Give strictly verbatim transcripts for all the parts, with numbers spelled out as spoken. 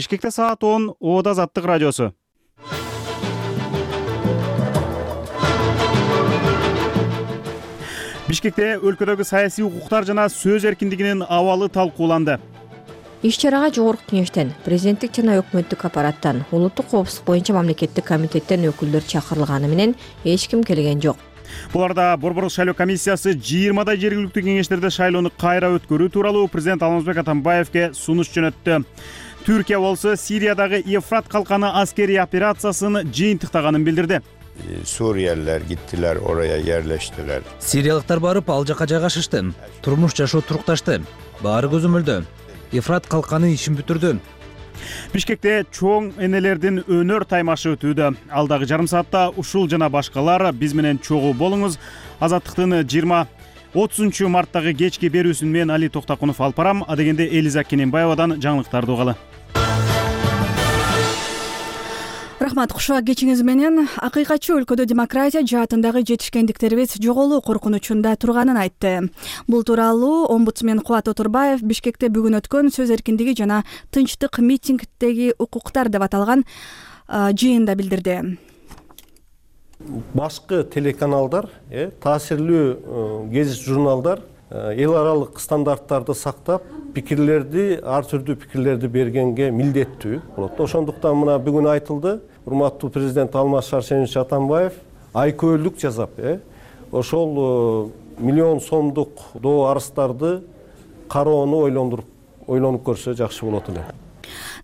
Бишкекте саат он, Оода Азаттык радиосу. Бишкекте өлкөдөгү саясий укуктар жана сөз эркиндигинин абалы талкууланды. Иш-чарага Жогорку Кеңештен, президенттик жана өкмөттүк аппараттан, улуттук коопсуздук боюнча мамлекеттик комитеттен өкүлдөр чакырылганы менен эч ким келген жок. Буларда Борбордук шайлоо комиссиясы жыйырмадай жергиликтүү кеңештерде шайлоону кайра өткөрүү тууралуу президент Алмазбек Атамбаевке сунуш жөнөттү. Түркия болсо Сириядагы Евфрат калканы аскерий операциясын жыйынтыктаганын билдирди. Suriyeliler gittiler, oraya yerleştiler. Siriyalıklar barıp al жака жайгашышты. Турмуш жашоо турукташты. Баары көзөмөлдө. Евфрат калканы ишин бүтүрдү. Бишкекте чоң энелердин өнөр таймашы өтүүдө. Алдагы жарым саатта ушул жана башкалар биз менен чогуу болуңуз. Азаттыктын жыйырма отузунчу марттагы кечки берүүсүн мен Али Токтакунов алып барам. Адегенде Элиза Кененбаевадан жаңылыктарды угалы. Рахмат, кушуа кечиңиз менен. Акыйкатчы өлкөдө демократия жаатындагы жетишкендиктерибиз жоголуу коркунучунда турганын айтты. Бул тууралуу омбудсмен Кубат Отурбаев Бишкекте бүгүн өткөн сөз эркиндиги жана тынчтык митингдеги укуктар деп аталган жыйында билдирди. Башкы телеканалдар, таасирлүү гезит журналдар эл аралык стандарттарды сактап, пикирлерди, ар түрдүү пикирлерди бергенге милдеттүү болот. Ошондуктан мына бүгүн айтылды, урматтуу президент Алмаз Шаршенович Атамбаев айкөөлүк жасап, ошол миллион сомдук доо арыздарды кароону ойлондуруп, ойлонуп көрсө жакшы болот эле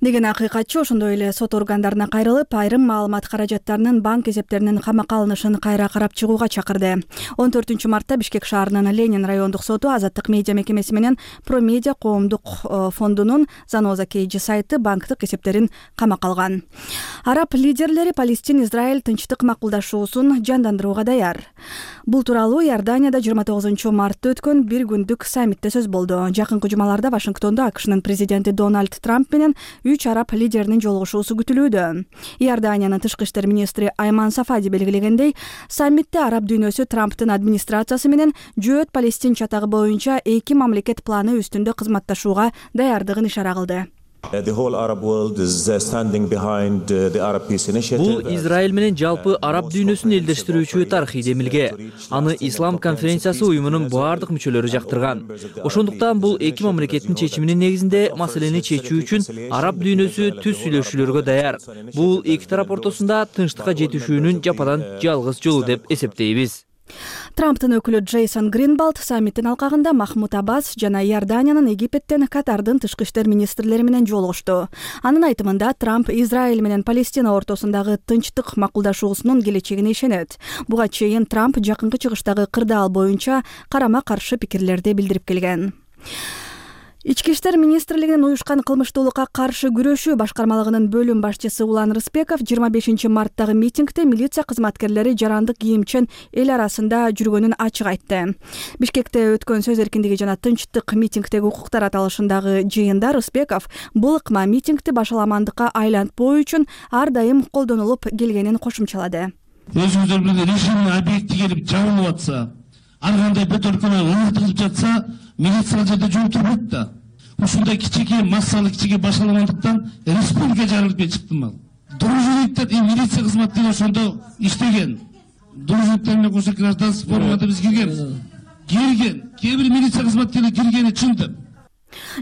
деген акыйкатчы ошондой эле сот органдарына кайрылып, айрым маалымат каражаттарынын банк эсептеринин камакка алынышын кайра карап чыгууга чакырды. он төртүнчү мартта Бишкек шаарынын Ленин райондук соту Азаттык медиа мекемеси менен Промедиа коомдук фондунун Заноза Кейджи сайты банктык эсептерин камакка алган. Араб лидерлери Палестин-Израиль тынчтык макулдашуусун жандандырууга даяр. Бул тууралуу Иорданияда жыйырма тогузунчу мартта өткөн бир күндүк саммитте сөз болду. Жакынкы жумаларда Вашингтондо АКШнын президенти Дональд Трамп менен үч араб лидеринин жолугушуусу күтүлүүдө. Иорданиянын тышкы иштер министри Айман Сафади белгилегендей, саммитте араб дүйнөсү Трамптын администрациясы менен жөөт Палестин чатагы боюнча эки мамлекет планы үстүндө кызматташууга даярдыгын ишара кылды. Бул Израиль менен жалпы араб дүйнөсүн элдештирүүчү тарыхый демилге. Аны Ислам конференциясы уюмунун баардык мүчөлөрү жактырган. Ошондуктан бул эки мамлекеттин чечиминин негизинде маселени чечүү үчүн араб дүйнөсү түз сүйлөшүүлөргө даяр. Бул эки тарап ортосунда тынчтыкка жетишүүнүн жападан жалгыз жолу деп эсептейбиз. Трамптын өкүлү Джейсон Гринбалд саммиттин алкагында Махмуд Аббас жана Иорданиянын, Египеттен, Катардын тышкы иштер министрлери менен жолугушту. Анын айтымында Трамп Израиль менен Палестина ортосундагы тынчтык макулдашуусунун келечегине ишенет. Буга чейин Трамп жакынкы чыгыштагы кырдаал боюнча карама-каршы пикирлерди билдирип келген. Ички иштер министрлигинин уюшкан кылмыштуулукка каршы күрөшүү башкармалыгынын бөлүм башчысы Улан Рыспеков жыйырма бешинчи марттагы митингде милиция кызматкерлери жарандык кийимчен эл арасында жүргөнүн ачык айтты. Бишкекте өткөн сөз эркиндиги жана тынчтык митингдеги укуктар аталышындагы жыйында Рыспеков бул ыкма митингди башаламандыкка айлантпоо үчүн ар дайым колдонулуп келгенин кошумчалады. Өзүңүздөр билген режимдин объекти келип жабылып атса, ар кандай бөтөлкөнө ыртылып жатса, милиция жерде жол турбайт да. Ушундай кичике массалык кичике башаламандыктан республика жарылып чыкты мал. Дружиниктер и милиция кызматкерлери ошондо иштеген. Дружиниктер менен кошо гражданский формада биз кирген. Кирген. Кээ бир милиция кызматкерлери киргени чын деп.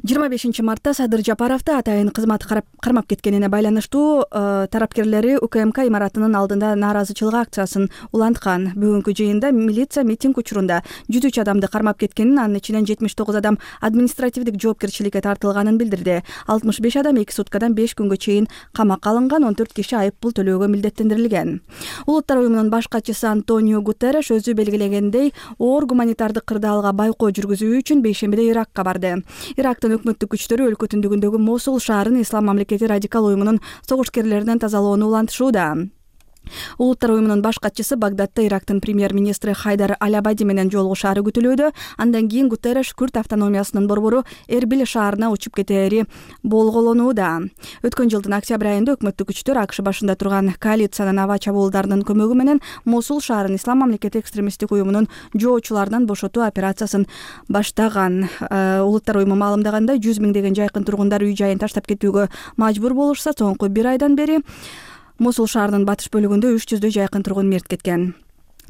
жыйырма бешинчи мартта Садыр Жапаровду атайын кызмат кармап кеткенине байланыштуу тараптарлары УКМК имаратынын алдында нааразычылык акциясын уланткан. Бүгүнкү жыйында милиция митинг учурунда жүз үч адамды кармап кеткенин, анын ичинен жетимиш тогуз адам административдик жоопкерчиликке тартылганын билдирди. алтымыш беш адам эки суткадан беш күнгө чейин камакка алынган, он төрт киши айып пул төлөөгө милдеттендирилген. Улуттар уюмунун баш катчысы Антонио Гутерреш өзү белгилегендей, оор гуманитардык кырдаалга байкоо жүргүзүү үчүн бейшембиде Иракка барды. Ирактын өкмөттүк күчтөрү өлкө түндүгүндөгү Мосул шаарын ислам мамлекети радикал уюмунун согушкерлеринен тазалоону улантышууда. Улуттар уюмунун баш катчысы Багдадта Ирактын премьер-министри Хайдар Аль-Абади менен жолугушаары күтүлүүдө. Андан кийин Гутерреш Күрд автономиясынын борбору Эрбил шаарына учуп кетери болголонууда. Өткөн жылдын октябрь айында өкмөттүк күчтөр АКШ башында турган коалициянын аба чабуулдарынын көмөгү менен Мосул шаарын Ислам мамлекети экстремисттик уюмунун жоочуларынан бошотуу операциясын баштаган. Улуттар уюму маалымдагандай, жүз миңдеген жайкын тургундар үй жайын таштап кетүүгө мажбур болушса, соңку бир айдан бери Мосул шаарынын батыш бөлүгүндө үч жүздөй жайкын тургун мерт кеткен.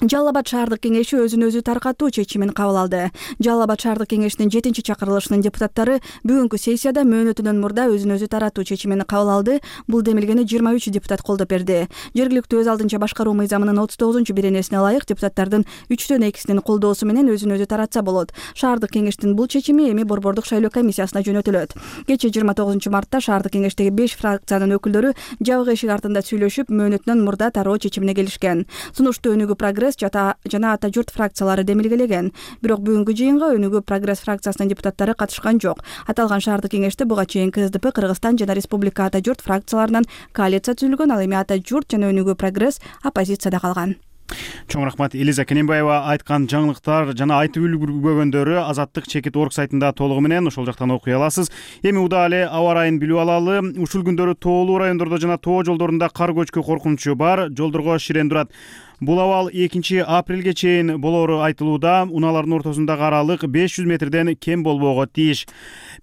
Жалал Абад шаардык кеңеши өзүн өзү таркатуу чечимин кабыл алды. Жалал Абад шаардык кеңешинин жетинчи чакырылышынын депутаттары бүгүнкү сессияда мөөнөтүнөн мурда өзүн өзү таратуу чечимин кабыл алды. Бул демилгени жыйырма үч депутат колдоп берди. Жергиликтүү өз алдынча башкаруу мыйзамынын отуз тогузунчу беренесине ылайык депутаттардын үчтөн экисинин колдоосу менен өзүн өзү таратса болот. Шаардык кеңештин бул чечими эми борбордук шайлоо комиссиясына жөнөтүлөт. Кечээ жыйырма тогузунчу мартта шаардык кеңештеги беш фракциянын өкүлдөрү жабык эшик артында сүйлөшүп, мөөнөтүнөн мурда тароо чечимине келишкен. Сунушту Өнүгүү Прогресс жата жана Ата журт фракциялары демилгелеген. Бирок бүгүнкү жыйынга Өнүгүү Прогресс фракциясынын депутаттары катышкан жок. Аталган шаардык кеңеште буга чейин КСДП, Кыргызстан жана Республика Ата журт фракцияларынан коалиция түзүлгөн, ал эми Ата журт жана Өнүгүү Прогресс оппозицияда калган. Чоң рахмат. Элиза Кененбаева айткан жаңылыктар жана айтып үлгүрбөгөндөрү Азаттык чекит орг сайтында толугу менен ошол жактан окуй аласыз. Эми удаа эле аба ырайын билип алалы. Ушул күндөрү тоолуу райондордо жана тоо жолдорунда кар көчкү коркунучу бар. Жолдорго ширен турат. Бул абал экинчи апрелге чейин болоору айтылууда. Унаалардын ортосундагы аралык беш жүз метрден кем болбоого тийиш.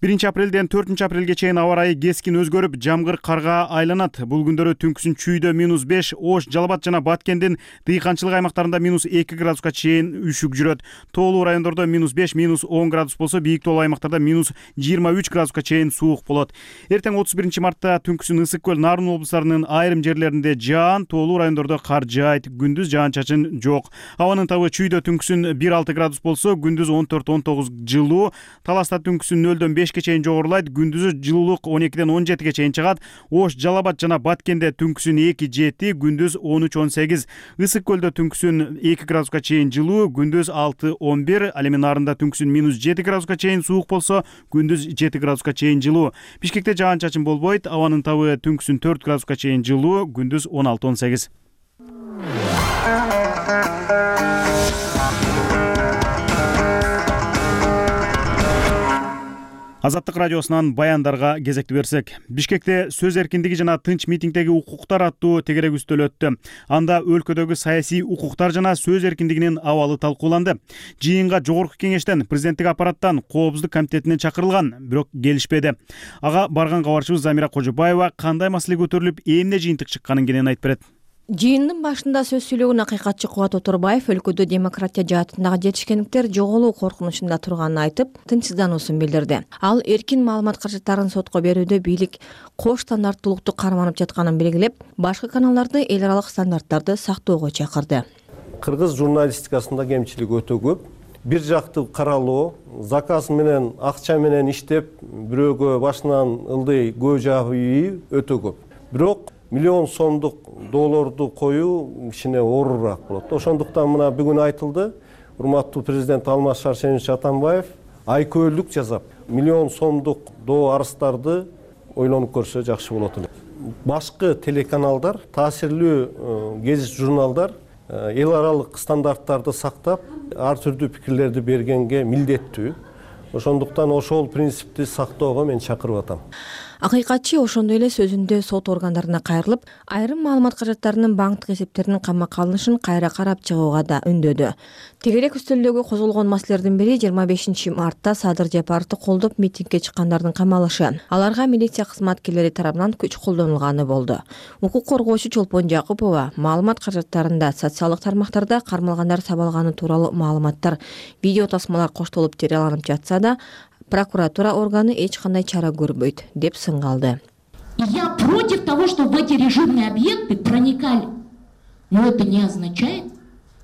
биринчи апрелден төртүнчү апрелге чейин аба ырайы кескин өзгөрүп, жамгыр карга айланат. Бул күндөрү түнкүсүн Чүйдө минус беш, Ош, Жалал Абад жана Баткендин дыйканчылык аймактарында минус эки градуска чейин үшүк жүрөт. Тоолуу райондордо минус беш, минус он градус болсо, бийик тоолуу аймактарда минус жыйырма үч градуска чейин суук болот. Эртең отуз биринчи мартта түнкүсүн Ысык көл, Нарын облустарынын айрым жерлеринде жаан, тоолуу райондордо кар жаайт. Күндүз жаан-чачын жок. Абанын табы Чүйдө түнкүсүн бир алты градус болсо, күндүз он төрт он тогуз жылуу. Таласта түнкүсүн нөлдөн бешке чейин жогорулайт. Күндүзү жылуулук он экиден он жетиге чейин чыгат. Ош, Жалал Абад жана Баткенде түнкүсүн эки жети, күндүз он үч он сегиз. Ысык көлдө түнкүсүн эки градуска чейин жылуу, күндүз алты он бир. Ал эми Нарында түнкүсүн минус жети градуска чейин суук болсо, күндүз жети градуска чейин жылуу. Бишкекте жаан-чачын болбойт. Абанын табы түнкүсүн төрт градуска чейин жылуу, күндүз он алты он сегиз. Азаттык радиосунан баяндарга кезекти берсек, Бишкекте сөз эркиндиги жана тынч митингдеги укуктар аттуу тегерек үстөл өттү. Анда өлкөдөгү саясий укуктар жана сөз эркиндигинин абалы талкууланды. Жыйынга жогорку кеңештен, президенттик аппараттан, коопсуздук комитетинен чакырылган, бирок келишпеди. Ага барган кабарчыбыз Замира Кожобаева кандай маселе көтөрүлүп, эмне жыйынтык чыкканын кенен айтып берет. Жыйындын башында сөз сүйлөгөн акыйкатчы Кубат Оторбаев өлкөдө демократия жаатындагы жетишкендиктер жоголуу коркунучунда турганын айтып, тынчсыздануусун билдирди. Ал эркин маалымат каражаттарын сотко берүүдө бийлик кош стандарттуулукту карманып жатканын белгилеп, башкы каналдарды эл аралык стандарттарды сактоого чакырды. Кыргыз журналистикасында кемчилик өтө көп. Бир жактуу каралоо, заказ менен, акча менен иштеп, бирөөгө башынан ылдый көө жаабы өтө көп. Бирок миллион сомдук долларду коюу кичине оорураак болот. Ошондуктан мына бүгүн айтылды, урматтуу президент Алмаз Шаршенович Атамбаев айкөөлүк жасап, миллион сомдук доо арыздарды ойлонуп көрсө жакшы болот эле. Башкы телеканалдар, таасирлүү гезит журналдар эл аралык стандарттарды сактап, ар түрдүү пикирлерди бергенге милдеттүү. Ошондуктан ошол принципти сактоого мен чакырып атам. Акыйкатчы ошондой эле сөзүндө сот органдарына кайрылып, айрым маалымат каражаттарынын банктык эсептеринин камакка алынышын кайра карап чыгууга да үндөдү. Тегерек үстөлдөгү козголгон маселелердин бири жыйырма бешинчи мартта Садыр Жапаровду колдоп митингге чыккандардын камалышы. Аларга милиция кызматкерлери тарабынан күч колдонулганы болду. Укук коргоочу Чолпон Жакупова маалымат каражаттарында социалдык тармактарда кармалгандар сабалганы тууралуу маалыматтар, видео тасмалар коштолуп жарыяланып жатса да, прокуратура органы эч кандай чара көрбөйт, деп сыңгалды. Я против того, что в эти режимные объекты проникали. Но это не означает,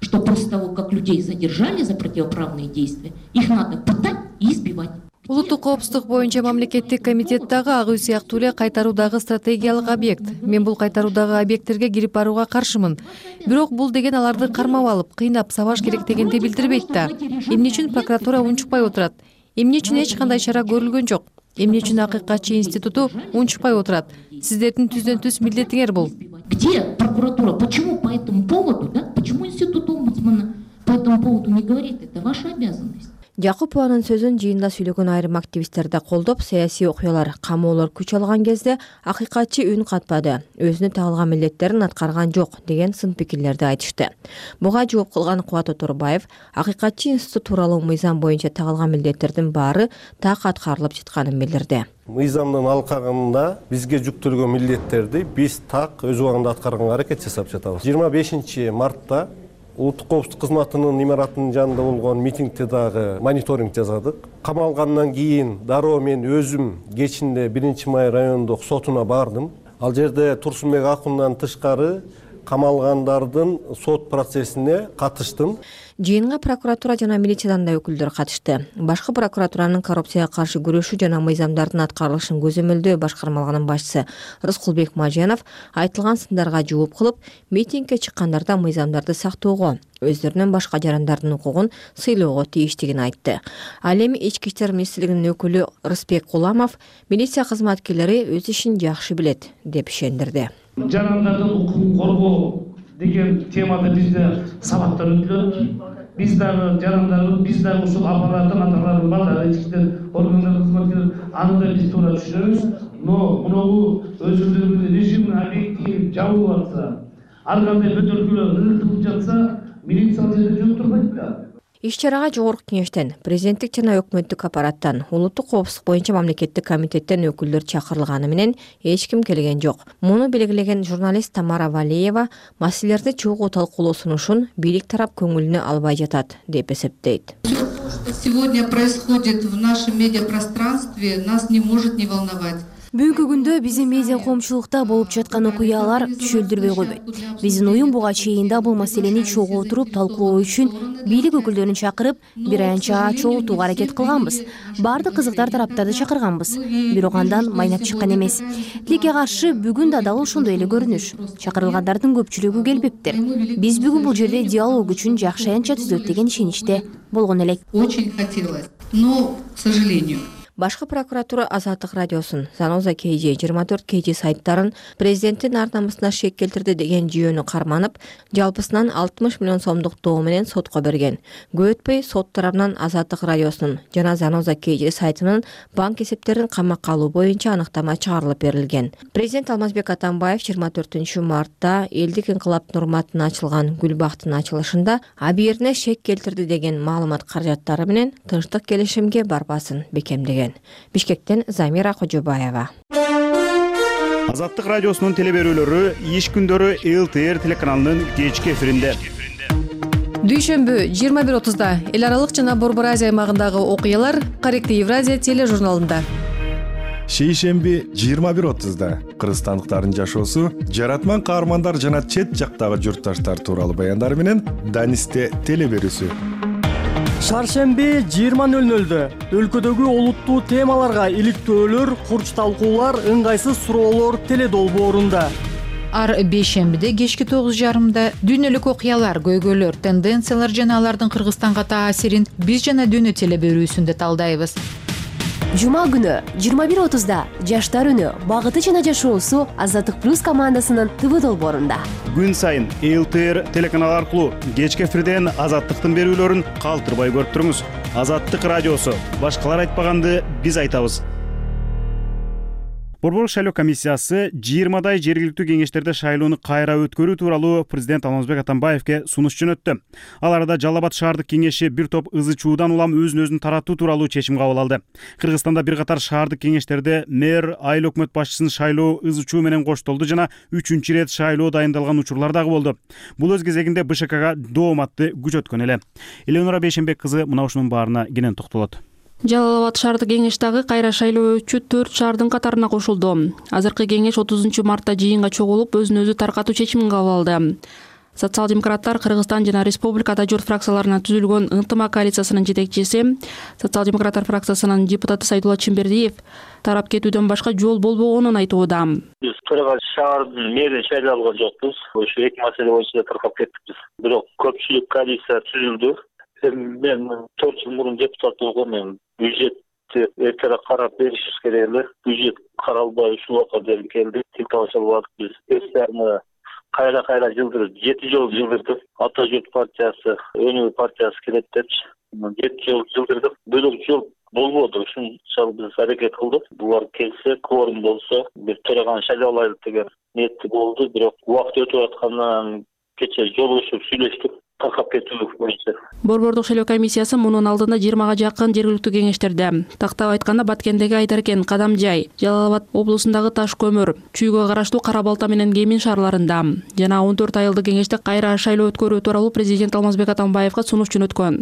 что после того, как людей задержали за противоправные действия, их надо пытать и избивать. Улуттук коопсуздук боюнча мамлекеттик комитеттагы ак үй сыяктуу эле кайтаруудагы стратегиялык объект. Мен бул кайтаруудагы объекттерге кирип барууга каршымын. Бирок бул деген аларды кармап алып, кыйнап сабаш керек дегенди билдирбейт да. Эмне үчүн прокуратура унчукпай отурат? Эмне үчүн эч кандай чара көрүлгөн жок? Эмне үчүн акыйкатчы институту унчукпай отурат? Сиздердин түздөн түз милдетиңер бул. Где прокуратура почему по этому поводу, да, почему институт омбудсмана по этому поводу не говорит? Это ваша обязанность. Жакупованын сөзүн жыйында сүйлөгөн айрым активисттер да колдоп, саясий окуялар, камоолор күч алган кезде акыйкатчы үн катпады, өзүнө тагылган милдеттерин аткарган жок деген сын пикирлерди айтышты. Буга жооп кылган Кубат Оторбаев, акыйкатчы институт тууралуу мыйзам боюнча тагылган милдеттердин баары так аткарылып жатканын билдирди. Мыйзамдын алкагында бизге жүктөлгөн милдеттерди биз так өз убагында аткарганга аракет жасап жатабыз. жыйырма бешинчи мартта Улуттук коопсуздук кызматынын имаратынын жанында болгон митингде дагы мониторинг жасадык. Камалгандан кийин дароо мен өзүм кечинде биринчи май райондук сотуна бардым. Ал жерде Турсунбек Акундан тышкары камалгандардын сот процессине катыштым. Жыйынга прокуратура жана милициядан да өкүлдөр катышты. Башкы прокуратуранын коррупцияга каршы күрөшүү жана мыйзамдардын аткарылышын көзөмөлдөө башкармалыгынын башчысы Рыскулбек Маженов айтылган сындарга жооп кылып, митингге чыккандарда мыйзамдарды сактоого, өздөрүнүн башка жарандардын укугун сыйлоого тийиштигин айтты. Ал эми ички иштер министрлигинин өкүлү Рысбек Куламов милиция кызматкерлери өз ишин жакшы билет деп ишендирди. Жарандардын укугун коргоо деген темада бизде сабактар өтүлөт. Биз дагы жарандарыбыз, биз дагы ушул аппараттын аталарын бар, ички иштер органдары кызматкерлери аны да биз туура түшүнөбүз. Но мунугу өзүлдөрүнүн режимин объективин жабылып атса, ар кандай бөтөлкөлөр ырылтып жатса, милиция ал жерде жок турбайт да. Иш-чарага жогорку кеңештен, президенттик жана өкмөттүк аппараттан, улуттук коопсуздук боюнча мамлекеттик комитеттен өкүлдөр чакырылганы менен эч ким келген жок. Муну белгилеген журналист Тамара Валеева маселелерди чогуу талкуулоо сунушун бийлик тарап көңүлүнө албай жатат деп эсептейт. Что сегодня происходит в нашем медиапространстве, нас не может не волновать. Бүгүнкү күндө биздин медиа коомчулукта болуп жаткан окуялар түшөлдүрбөй койбойт. Биздин уюм буга чейин да бул маселени чогуу отуруп талкуулоо үчүн бийлик өкүлдөрүн чакырып, бир аянча чогултууга аракет кылганбыз. Баардык кызыктар тараптарды чакырганбыз. Бирок андан майнап чыккан эмес. Тилекке каршы бүгүн да дал ошондой эле көрүнүш. Чакырылгандардын көпчүлүгү келбептир. Биз бүгүн бул жерде диалог үчүн жакшы аянча түзөт деген ишеничте болгон элек. Очень хотелось, но, к сожалению. Башкы прокуратура Азаттык радиосун, Заноза кей же, жыйырма төрт кей же сайттарын президенттин ар намысына шек келтирди деген жүйөнү карманып, жалпысынан алтымыш миллион сомдук доо менен сотко берген. Көп өтпөй сот тарабынан Азаттык радиосунун жана Заноза кей же сайтынын банк эсептерин камакка алуу боюнча аныктама чыгарылып берилген. Президент Алмазбек Атамбаев жыйырма төртүнчү мартта элдик инкылаптын урматына ачылган Гүлбактын ачылышында абийирине шек келтирди деген маалымат каражаттары менен тынчтык келишимге барбасын бекемдеген. Бишкектен Замира Кожобаева. Азаттык радиосунун телеберүүлөрү иш күндөрү эл тэ эр телеканалынын кечки эфиринде. Дүйшөмбү жыйырма бир отузда эл аралык жана Борбор Азия аймагындагы окуялар Корректный Евразия тележурналында. Шейшемби жыйырма бир отузда кыргызстандыктардын жашоосу, жаратман каармандар жана чет жактагы журтташтар тууралуу баяндар менен Данисте телеберүүсү. Шаршемби жыйырма нөл нөлдө өлкөдөгү олуттуу темаларга иликтөөлөр, курч талкуулар, ыңгайсыз суроолор теледолбоорунда. Ар бейшембиде кечки тогуз жарымда дүйнөлүк окуялар, көйгөйлөр, тенденциялар жана алардын Кыргызстанга таасирин биз жана дүйнө телеберүүсүндө талдайбыз. Жума күнү жыйырма бир отузда жаштар үнү, багыты жана жашоосу Азаттык плюс командасынын ТВ долбоорунда. Күн сайын эл тэ эр телеканалы аркылуу кечки эфирден Азаттыктын берүүлөрүн калтырбай көрүп туруңуз. Азаттык радиосу. Башкалар айтпаганды биз айтабыз. Борбор шайлоо комиссиясы жыйырмадай жергиликтүү кеңештерде шайлоону кайра өткөрүү тууралуу президент Алмазбек Атамбаевке сунуш жөнөттү. Ал арада Жалал Абад шаардык кеңеши бир топ ызы чуудан улам өзүн өзүн тараттуу тууралуу чечим кабыл алды. Кыргызстанда бир катар шаардык кеңештерде мэр, айыл өкмөт башчысын шайлоо ызы чуу менен коштолду жана үчүнчү ирет шайлоо дайындалган учурлар дагы болду. Бул өз кезегинде бэ шэ кага дооматты күч өткөн эле. Эленора Бейшенбек кызы мына ушунун баарына кенен токтолот. Жалал Абад шаардык кеңеш дагы кайра шайлоочу төрт шаардын катарына кошулду. Азыркы кеңеш отузунчу мартта жыйынга чогулуп, өзүн өзү таркатуу чечимин кабыл алды. Социал-демократтар Кыргызстан жана Республикада журт фракцияларынан түзүлгөн ынтымак коалициясынын жетекчиси, социал-демократтар фракциясынын депутаты Сайдулла Чембердиев тарап кетүүдөн башка жол болбогонун айтууда. Биз Кыргыз шаардын мэрин шайлалган жокпуз. Ошо эки маселе боюнча таркап кеттикпиз. Бирок көпчүлүк коалиция түзүлдү. Мен төрт жыл мурун депутат болгом. Бюджетти эртерээк карап беришибиз керек эле. Бюджет каралбай ушул убакка дейин келди. Тил табыша албадык биз. Эстерни кайра кайра жылдырып жети жолу жылдырдым. Ата журт партиясы, Өнөр партиясы келет депчи жети жолу жылдырдык. Бөлөк жол болбоду. Ушунчалык биз аракет кылдык. Булар келсе, кворум болсо, бир төраганы шайлап алайлык деген ниетти болду. Бирок убакыт өтүп аткандан кечээ жолугушуп сүйлөштүк. Таркап кетүү боюнча. Борбордук шайлоо комиссиясы мунун алдында жыйырмага жакын жергиликтүү кеңештерде, тактап айтканда Баткендеги Айдаркен, Кадамжай, Жалал Абад облусундагы Таш көмүр, Чүйгө караштуу Кара Балта менен Кемин шаарларында жана он төрт айылдык кеңеште кайра шайлоо өткөрүү тууралуу президент Алмазбек Атамбаевга сунуш жөнөткөн.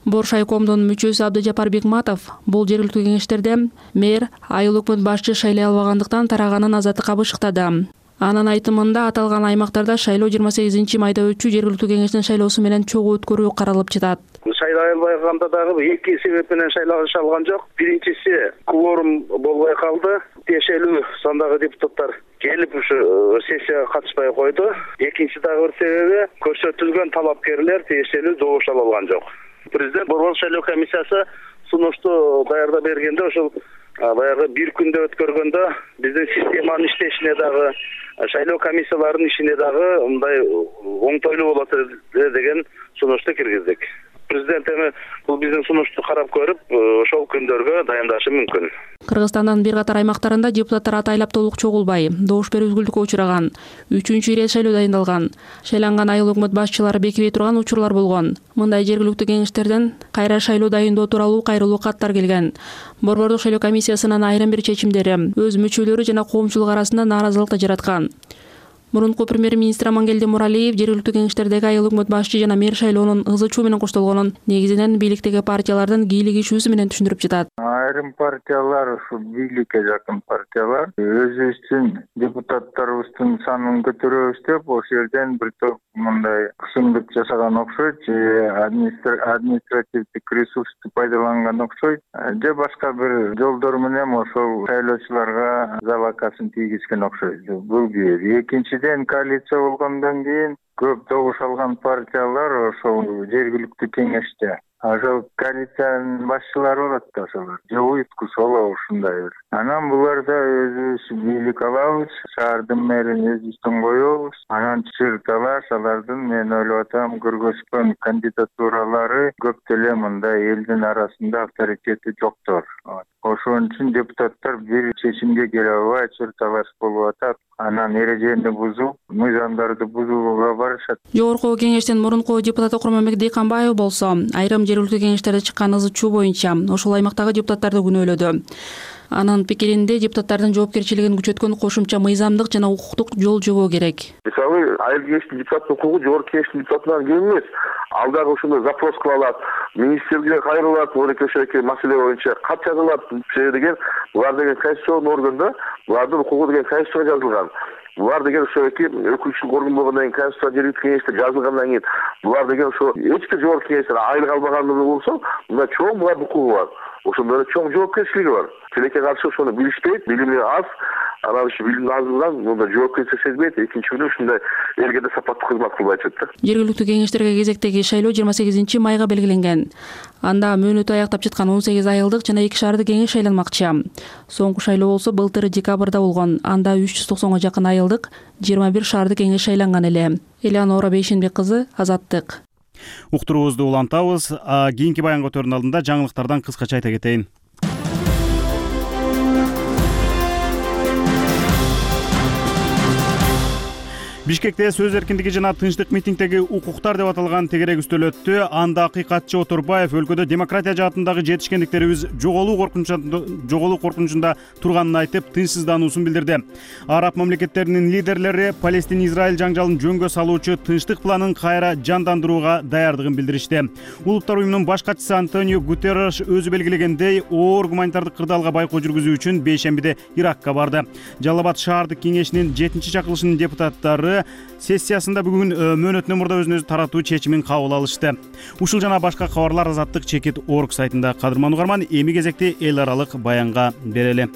Боршайкомдун мүчөсү Абдыжапар Бекматов бул жергиликтүү кеңештерде мэр, айыл өкмөт башчы шайлай албагандыктан тараганын азаттыкка бышыктады. Анын айтымында аталган аймактарда шайлоо жыйырма сегизинчи майда өтчү жергиликтүү кеңештин шайлоосу менен чогуу өткөрүү каралып жатат. Шайлай албаганда дагы эки себеп менен шайланыша алган жок. Биринчиси кворум болбой калды. Тиешелүү сандагы депутаттар келип ушу сессияга катышпай койду. Экинчи дагы бир себеби көрсөтүлгөн талапкерлер тиешелүү добуш ала алган жок. Президент борбордук шайлоо комиссиясы сунушту даярдап бергенде ошол баягы бир күндө өткөргөндө биздин системанын иштешине дагы шайлоо комиссияларынын ишине дагы мындай оңтойлуу болот деген сунушту киргиздик. Президент эми бул биздин сунушту карап көрүп, ошол күндөргө дайындашы мүмкүн. Кыргызстандын бир катар аймактарында депутаттар атайлап толук чогулбай, добуш берүү үзгүлтүккө учураган. Үчүнчү ирет шайлоо дайындалган. Шайланган айыл өкмөт башчылары бекибей турган учурлар болгон. Мындай жергиликтүү кеңештерден кайра шайлоо дайындоо тууралуу кайрылуу каттар келген. Борбордук шайлоо комиссиясынын айрым бир чечимдери өз мүчөлөрү жана коомчулук арасында нааразылыкты жараткан. Мурунку премьер-министр Амангелди Муралиев жергиликтүү кеңештердеги айыл өкмөт башчы жана мэр шайлоонун ызы чуу менен коштолгонун негизинен бийликтеги партиялардын кийлигишүүсү менен түшүндүрүп жатат. Айрым партиялар ушу бийликке жакын партиялар өзүбүздүн депутаттарыбыздын санын көтөрөбүз деп ошол жерден бир топ мындай кысымдык жасаган окшойт, же административдик ресурсту пайдаланган окшойт, же башка бир жолдор менен ошол шайлоочуларга залакасын тийгизген окшойт. Бул бир. Экинчиден коалиция болгондон кийин көп добуш алган партиялар ошол жергиликтүү кеңеште. Ошол коалициянын башчылары болот да ошолор. Же уюткус болобу ушундай бир. Анан буларда өзүбүз бийлик алабыз, шаардын мэрин өзүбүздөн коебуз. Анан чырталаш алардын мен ойлоп атам көргөзгөн кандидатуралары көп деле мындай элдин арасында авторитети жоктор. Ошон үчүн депутаттар бир чечимге келе албай чырталаш болуп атат. Анан эрежени бузуп, мыйзамдарды бузууга барышат. Жогорку кеңештин мурунку депутаты Курманбек Дейканбаев болсо, айрым жергиликтүү кеңештерде чыккан ызы чуу боюнча ошол аймактагы депутаттарды күнөөлөдү. Анын пикиринде депутаттардын жоопкерчилигин күчөткөн кошумча мыйзамдык жана укуктук жол жобоо керек. Мисалы, айыл кеңештин депутаттын укугу жогорку кеңештин депутатынан кем эмес. Ал дагы ошондой запрос кыла алат, министрге кайрылат, ошол маселе боюнча кат жазылат деген. Булар деген конституцион органда, булардын укугу деген конституцияга жазылган. Булар деген ошо эки өкүлчүлүк орган болгондон кийин конституция жергиликтүү кеңеште жазылгандан кийин булар деген ошо эч бир жогорку кеңештен айлык албагандыгы болсо, мында чоң булардын укугу бар. Ошондой эле чоң жоопкерчилиги бар. Тилекке каршы ошону билишпейт, билими аз. Анан ушу билим азынан мында жоопкерчилик сезбейт. Экинчиден ушундай элге да сапаттуу кызмат кылбай атат. Жергиликтүү кеңештерге кезектеги шайлоо жыйырма сегизинчи майга белгиленген. Анда мөөнөтү аяктап жаткан он сегиз айылдык жана эки шаардык кеңеш шайланмакчы. Соңку шайлоо болсо былтыр декабрда болгон. Анда үч жүз токсонго жакын айылдык, жыйырма бир шаардык кеңеш шайланган эле. Элеонора Бейшенбек кызы, Азаттык. Уктуруубузду улантабыз. Кийинки баян көтөрүүнүн алдында жаңылыктардан кыскача айта кетейин. Бишкекте сөз эркиндиги жана тынчтык митингдеги укуктар деп аталган тегерек үстөл өттү. Анда акыйкатчы Отурбаев өлкөдө демократия жаатындагы жетишкендиктерибиз жоголуу коркунучунда жоголуу коркунучунда турганын айтып, тынчсыздануусун билдирди. Араб мамлекеттеринин лидерлери Палестин-Израиль жаңжалын жөнгө салуучу тынчтык планын кайра жандандырууга даярдыгын билдиришти. Улуттар уюмунун баш катчысы Антонио Гутерреш өзү белгилегендей, оор гуманитардык кырдаалга байкоо жүргүзүү үчүн бейшембиде Иракка барды. Жалал Абад шаардык кеңешинин жетинчи чакырылышынын депутаттары сессиясында бүгүн мөөнөтүнөн мурда өзүн өзү таратуу чечимин кабыл алышты. Ушул жана башка кабарлар Азаттык чекит орг сайтында. Кадырман угарман, эми кезекти эл аралык баянга берели.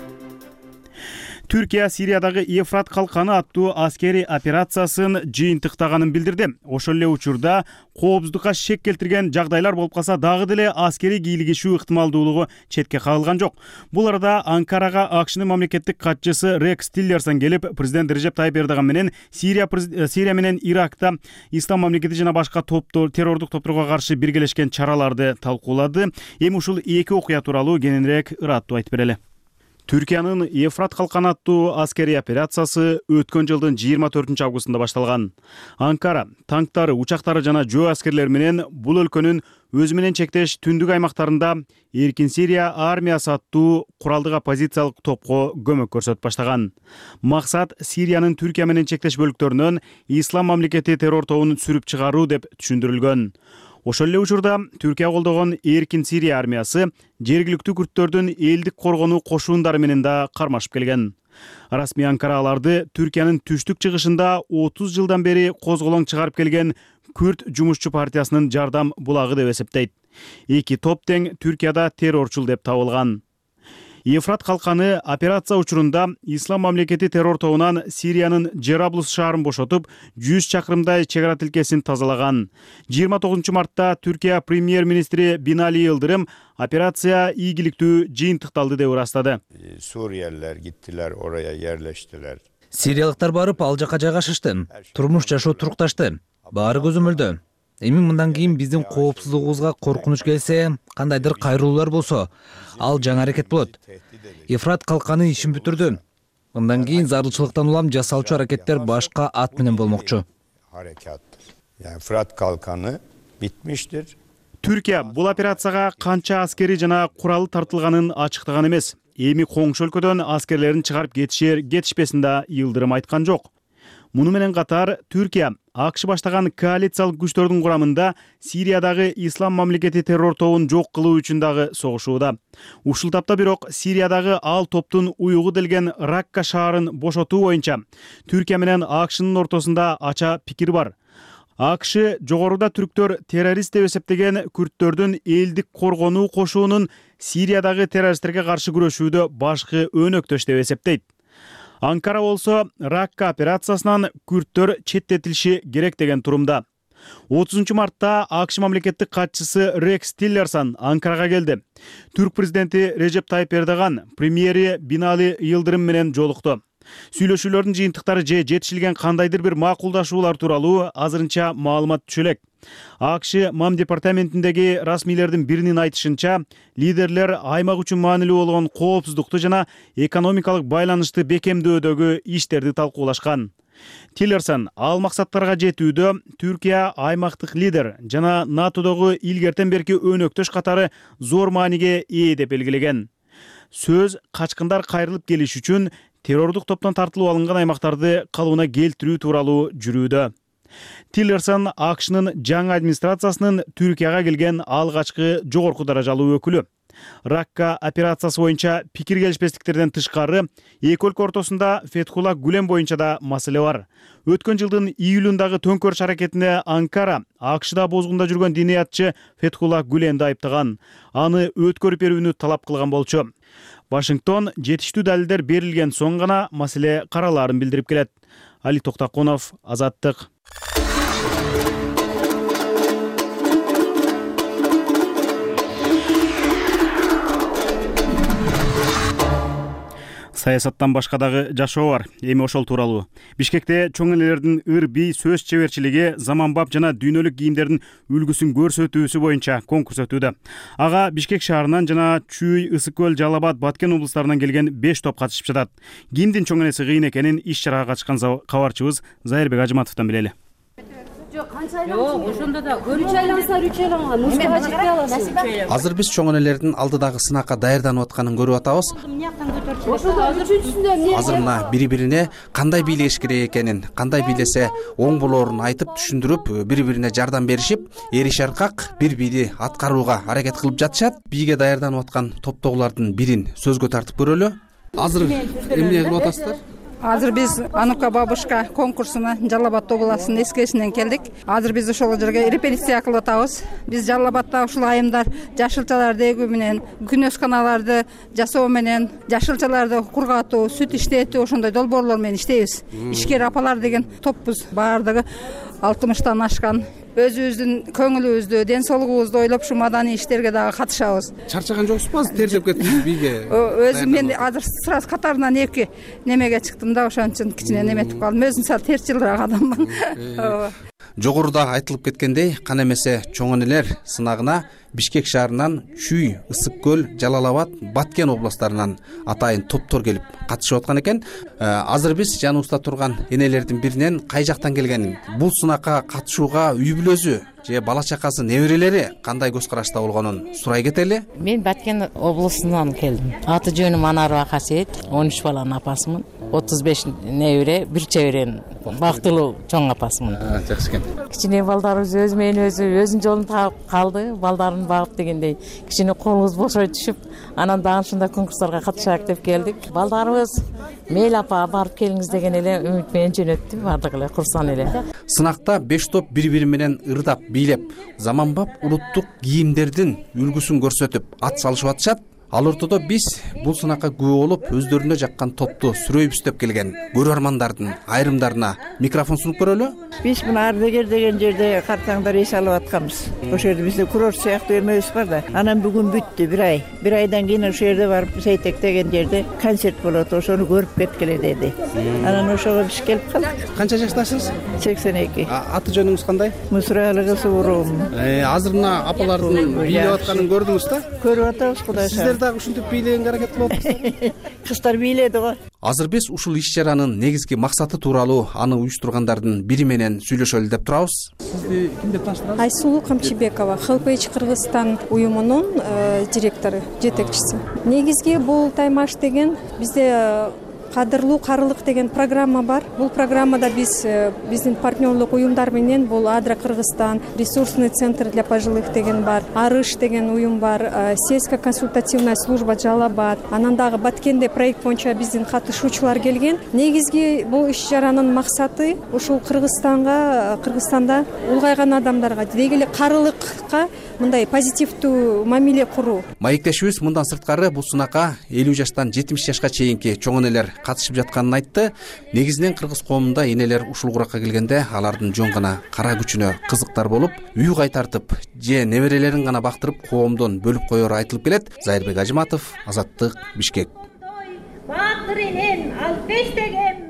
Түркия Сириядагы Ефрат калканы аттуу аскерий операциясын жыйынтыктаганын билдирди. Ошол эле учурда коопсуздукка шек келтирген жагдайлар болуп калса дагы деле аскерий кийлигишүү ыктымалдуулугу четке кагылган жок. Бул арада Анкарага АКШнын мамлекеттик катчысы Рекс Тиллерсон келип, президент Режеп Тайып Эрдоган менен Сирия Сирия менен Иракта Ислам мамлекети жана башка топтор террордук топторго каршы биргелешкен чараларды талкуулады. Эми ушул эки окуя тууралуу кененирээк ыраттуу айтып берели. Түркиянын Ефрат калканы аттуу аскерий операциясы өткөн жылдын жыйырма төртүнчү августунда башталган. Анкара танктары, учактары жана жөө аскерлери менен бул өлкөнүн өзү менен чектеш түндүк аймактарында Эркин Сирия армиясы аттуу куралдык оппозициялык топко көмөк көрсөтүп баштаган. Максат Сириянын Түркия менен чектеш бөлүктөрүнөн Ислам мамлекети террор тобун сүрүп чыгаруу деп түшүндүрүлгөн. Ошол эле учурда Түркия колдогон Эркин Сирия армиясы жергиликтүү күрттөрдүн элдик коргонуу кошуундары менен да кармашып келген. Расмий Анкара аларды Түркиянын түштүк чыгышында отуз жылдан бери козголоң чыгарып келген Күрт жумушчу партиясынын жардам булагы деп эсептейт. Эки топ тең Түркияда террорчул деп табылган. Ефрат калканы операция учурунда Ислам мамлекети террор тобунан Сириянын Жераблус шаарын бошотуп, жүз чакырымдай чек ара тилкесин тазалаган. жыйырма тогузунчу мартта Түркия премьер-министри Бинали Йылдырым операция ийгиликтүү жыйынтыкталды деп ырастады. Suriyeliler gittiler, oraya yerleştiler. Сириялыктар барып ал жака жайгашышты. Турмуш жашоо турукташты. Баары көзөмөлдө. Эми мындан кийин биздин коопсуздугубузга коркунуч келсе, кандайдыр кайрылуулар болсо, ал жаңы аракет болот. Ефрат калканы ишин бүтүрдү. Мындан кийин зарылчылыктан улам жасалчу аракеттер башка ат менен болмокчу. Yani Fırat Kalkanı bitmiştir. Түркия бул операцияга канча аскери жана куралы тартылганын ачыктаган эмес. Эми коңшу өлкөдөн аскерлерин чыгарып кетишер, кетишпесин да Йылдырым айткан жок. Муну менен катар Түркия АКШ баштаган коалициялык күчтөрдүн курамында Сириядагы Ислам мамлекети террор тобун жок кылуу үчүн дагы согушууда. Ушул тапта бирок Сириядагы ал топтун уюгу делген Ракка шаарын бошотуу боюнча Түркия менен АКШнын ортосунда ача пикир бар. АКШ жогоруда түрктөр террорист деп эсептеген күрттөрдүн элдик коргонуу кошуунун Сириядагы террористтерге каршы күрөшүүдө башкы өнөктөш деп эсептейт. Анкара болсо Ракка операциясынан күрттөр четтетилиши керек деген турумда. отузунчу мартта АКШ мамлекеттик катчысы Рекс Тиллерсон Анкарага келди. Түрк президенти Режеп Тайып Эрдоган премьери Бинали Йылдырым менен жолукту. Сүйлөшүүлөрдүн жыйынтыктары же жетишилген кандайдыр бир макулдашуулар тууралуу азырынча маалымат түшө элек. АКШ МАМ департаментиндеги расмийлердин биринин айтышынча, лидерлер аймак үчүн маанилүү болгон коопсуздукту жана экономикалык байланышты бекемдөөдөгү иштерди талкуулашкан. Тиллерсон ал максаттарга жетүүдө Түркия аймактык лидер жана НАТОдогу илгертен берки өнөктөш катары зор мааниге ээ деп белгилеген. Сөз качкындар кайрылып келиш үчүн террордук топтон тартылып алынган аймактарды калыбына келтирүү тууралуу жүрүүдө. Тиллерсон АКШнын жаңы администрациясынын Түркияга келген алгачкы жогорку даражалуу өкүлү. Ракка операциясы боюнча пикир келишпестиктерден тышкары эки өлкө ортосунда Фетхулла Гүлен боюнча да маселе бар. Өткөн жылдын июлундагы төңкөрүш аракетине Анкара АКШда бозгунда жүргөн диниятчы Фетхулла Гүленди айыптаган. Аны өткөрүп берүүнү талап кылган болчу. Вашингтон жетиштүү далилдер берилген соң гана маселе каралаарын билдирип келет. Али Токтакунов, Азаттык. Саясаттан башка дагы жашоо бар. Эми ошол тууралуу. Бишкекте чоң энелердин ыр бий сөз чеберчилиги заманбап жана дүйнөлүк кийимдердин үлгүсүн көрсөтүүсү боюнча конкурс өтүүдө. Ага Бишкек шаарынан жана Чүй, Ысык көл, Жалал Абад, Баткен облустарынан келген беш топ катышып жатат. Кимдин чоң энеси кыйын экенин иш чарага катышкан кабарчыбыз Зайырбек Ажыматовдон билели. Жок, ошондо да үч айланса үч айланган, муштага жетпей аласыз. Азыр биз чоң энелердин алдыдагы сынакка даярданып атканын көрүп атабыз. Азыр мына бири-бирине кандай бийлеш керек экенин, кандай бийлесе оң болоорун айтып түшүндүрүп, бири-бирине жардам беришип, эриш аркак бир бийди аткарууга аракет кылып жатышат. Бийге даярданып аткан топтогулардын бирин сөзгө тартып көрөлү. Азыр эмне кылып атасыздар? Азыр биз Анука бабушка конкурсуна Жалал Абад областынын эскесинен келдик. Азыр биз ошол жерге репетиция кылып атабыз. Биз Жалал Абадта ушул айымдар жашылчаларды эгүү менен, күнөсканаларды жасоо менен, жашылчаларды кургатуу, сүт иштетүү ошондой долбоорлор менен иштейбиз. Ишкер апалар деген топпуз. Баардыгы алтымыштан ашкан. Өзүбүздүн көңүлүбүздү, ден соолугубузду ойлоп ушу маданий иштерге дагы катышабыз. Чарчаган жоксузбу? Азыр тертеп кеттиңиз бийге. Өзүм мен азыр сразу катарынан эки немеге чыктым да, ошон үчүн кичине неметип калдым. Өзүм сал терс жылдырак адаммын. Жогоруда айтылып кеткендей, кан эмесе чоң энелер сынагына Бишкек шаарынан Чүй, Ысык көл, Жалал Абад, Баткен областтарынан атайын топтор келип катышып аткан экен. Азыр биз жаныбызда турган энелердин биринен кай жактан келгенин, бул сынакка катышууга үй бүлөсү же бала чакасы, неберелери кандай көз карашта болгонун сурай кетели. Мен Баткен облусунан келдим. Аты жөнүм Анарова Касиет, он үч баланын апасымын. отуз беш небере, бир чеберенин бактылуу чоң апасымын. Жакшы экен. Кичине балдарыбыз өзү менен өзү өзүнүн жолун таап калды. Балдарын багып дегендей кичине колубуз бошой түшүп, анан дагы ушундай конкурстарга катышайык деп келдик. Балдарыбыз мейли апа барып келиңиз деген эле үмүт менен жөнөттү, бардык эле курсан эле. Сынакта беш топ бири-бири менен ырдап, бийлеп, заманбап улуттук кийимдердин үлгүсүн көрсөтүп ат салышып атышат. Ал ортодо биз бул сынакка күбө болуп, өздөрүнө жаккан топту сүрөйбүз деп келген көрөрмандардын айрымдарына микрофон сунуп көрөлү. Биз мына Ардегер деген жерде картаңдар эс алып атканбыз. Ошол жерде бизде курорт сыяктуу эмебиз бар да. Анан бүгүн бүттү, бир ай. Бир айдан кийин ошол жерде барып Сейтек деген жерде концерт болот, ошону көрүп кеткиле деди. Анан ошого биз келип калдык. Канча жаштасыз? сексен эки. Аты жөнүңүз кандай? Мусуралыгы Суурум. Азыр мына апалардын бийлеп атканын көрдүңүз да? Көрүп атабыз, Кудай шаалат. Дагы ушинтип бийлегенге аракет кылып атасыздар. Кыздар бийледи го. Азыр биз ушул иш чаранын негизги максаты тууралуу аны уюштургандардын бири менен сүйлөшөлү деп турабыз. Сизди ким деп тааныштырасыз? Айсулуу Камчыбекова, Хелпейдж Кыргызстан уюмунун директору, жетекчиси. Негизги бул таймаш деген бизде кадырлуу карылык деген программа бар. Бул программада биз биздин партнерлук уюмдар менен бул Адра Кыргызстан, ресурсный центр для пожилых деген бар, Арыш деген уюм бар, сельско-консультативная служба Жалал Абад, анан дагы Баткенде проект боюнча биздин катышуучулар келген. Негизги бул иш чаранын максаты ушул Кыргызстанга, Кыргызстанда улгайган адамдарга деги эле карылыкка мындай позитивдүү мамиле куруу. Маектешибиз мындан сырткары бул сынакка элүү жаштан жетимиш жашка чейинки чоң энелер катышып жатканын айтты. Негизинен кыргыз коомунда энелер ушул куракка келгенде алардын жөн гана кара күчүнө кызыктар болуп, үй кайтартып же неберелерин гана бактырып коомдон бөлүп коеру айтылып келет. Зайырбек Ажыматов, Азаттык, Бишкек. Баатыр энем алпеш деген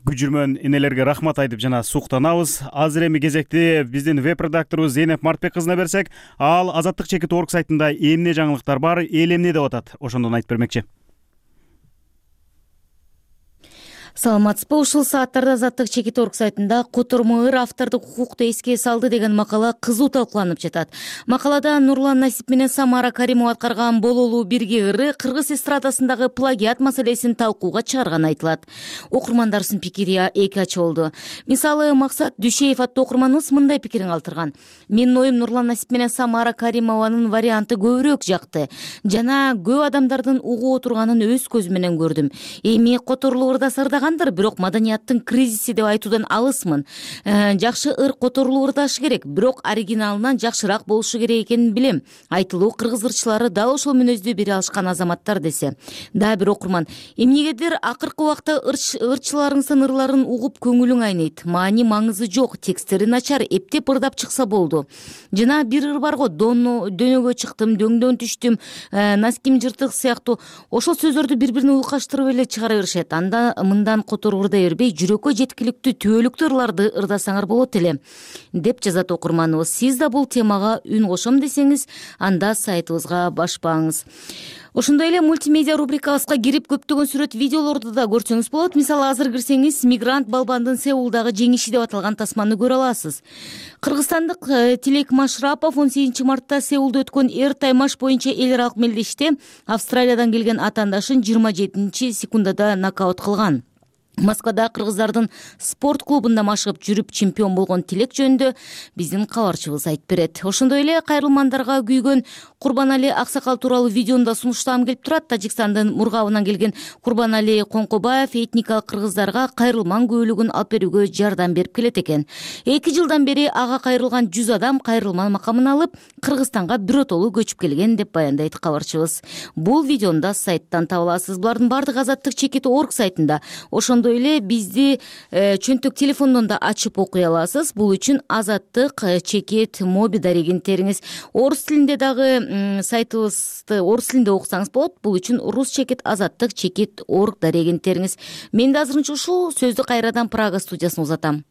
Күжүрмөн энелерге рахмат айтып жана суктанабыз. Азыр эми кезекти биздин веб-редакторубуз Зейнеп Мартбек кызына берсек, ал Азаттык чекит орг сайтында эмне жаңылыктар бар, эл эмне деп атат, ошондон айтып бермекчи. Саламатсызбы, ушул сааттарда Азаттык чекит орг сайтында котормо ыр автордук укукту эске салды деген макала кызуу талкууланып жатат. Макалада Нурлан Насип менен Самара Каримова аткарган бололуу бирге ыры кыргыз эстрадасындагы плагиат маселесин талкууга чыгарганы айтылат. Окурмандарыбыздын пикири эки ачы болду. Мисалы, Максат Дүшеев аттуу окурманыбыз мындай пикирин калтырган. Менин оюм Нурлан Насип менен Самара Каримованын варианты көбүрөөк жакты. Жана көп адамдардын угуп отурганын өз көзүм менен көрдүм. Эми которулуу ырда сырдаган бирок маданияттын кризиси деп айтуудан алысмын. Жакшы ыр которулуу ырдашы керек, бирок оригиналынан жакшыраак болушу керек экенин билем. Айтылуу кыргыз ырчылары дал ошол мүнөздү бере алышкан азаматтар десе. Дагы бир окурман: эмнегедир акыркы убакта ырчыларыңыздын ырларын угуп көңүлүң айнейт. Маани маңызы жок, текстери начар, эптеп ырдап чыкса болду. Жана бир ыр бар го: дөнөгө чыктым, дөңдөн түштүм, носким жыртык сыяктуу. Ошол сөздөрдү бири-бирине уйкаштырып эле чыгара беришет. Анда мындан которуу ырдай бербей, жүрөккө жеткиликтүү түбөлүктүү ырларды ырдасаңар болот эле, деп жазат окурманыбыз. Сиз да бул темага үн кошом десеңиз, анда сайтыбызга башпаңыз. Ошондой эле мультимедиа рубрикабызга кирип көптөгөн сүрөт, видеолорду да көрсөңүз болот. Мисалы, азыр кирсеңиз, мигрант балбандын Сеулдагы жеңиши деп аталган тасманы көрө аласыз. Кыргызстандык Тилек Машрапов он сегизинчи мартта Сеулда өткөн эр таймаш боюнча эл аралык мелдеште Австралиядан келген атаандашын жыйырма жетинчи секундада нокаут кылган. Москвада кыргыздардын спорт клубунда машыгып жүрүп чемпион болгон тилек жөнүндө биздин кабарчыбыз айтып берет. Ошондой эле кайрылмандарга күйгөн Курбанали Аксакал тууралуу видеону да сунуштагым келип турат. Тажикстандын Мургабынан келген Курбанали Коңкобаев этникалык кыргыздарга кайрылман күбөлүгүн алып берүүгө жардам берип келет экен. Эки жылдан бери ага кайрылган жүз адам кайрылман макамын алып Кыргызстанга биротолуу көчүп келген деп баяндайт кабарчыбыз. Бул видеону да сайттан таба аласыз. Булардын бардыгы Азаттык чекит орг сайтында. Ошондой эле бизди э, чөнтөк телефондон да ачып окуй аласыз. Бул үчүн Азаттык чекит моби дарегин териңиз. Орус тилинде дагы сайтыбызды орус тилинде окусаңыз болот. Бул үчүн рус чекит Азаттык чекит орг дарегин териңиз. Мен да азырынча ушул сөздү кайрадан Прага студиясына узатам.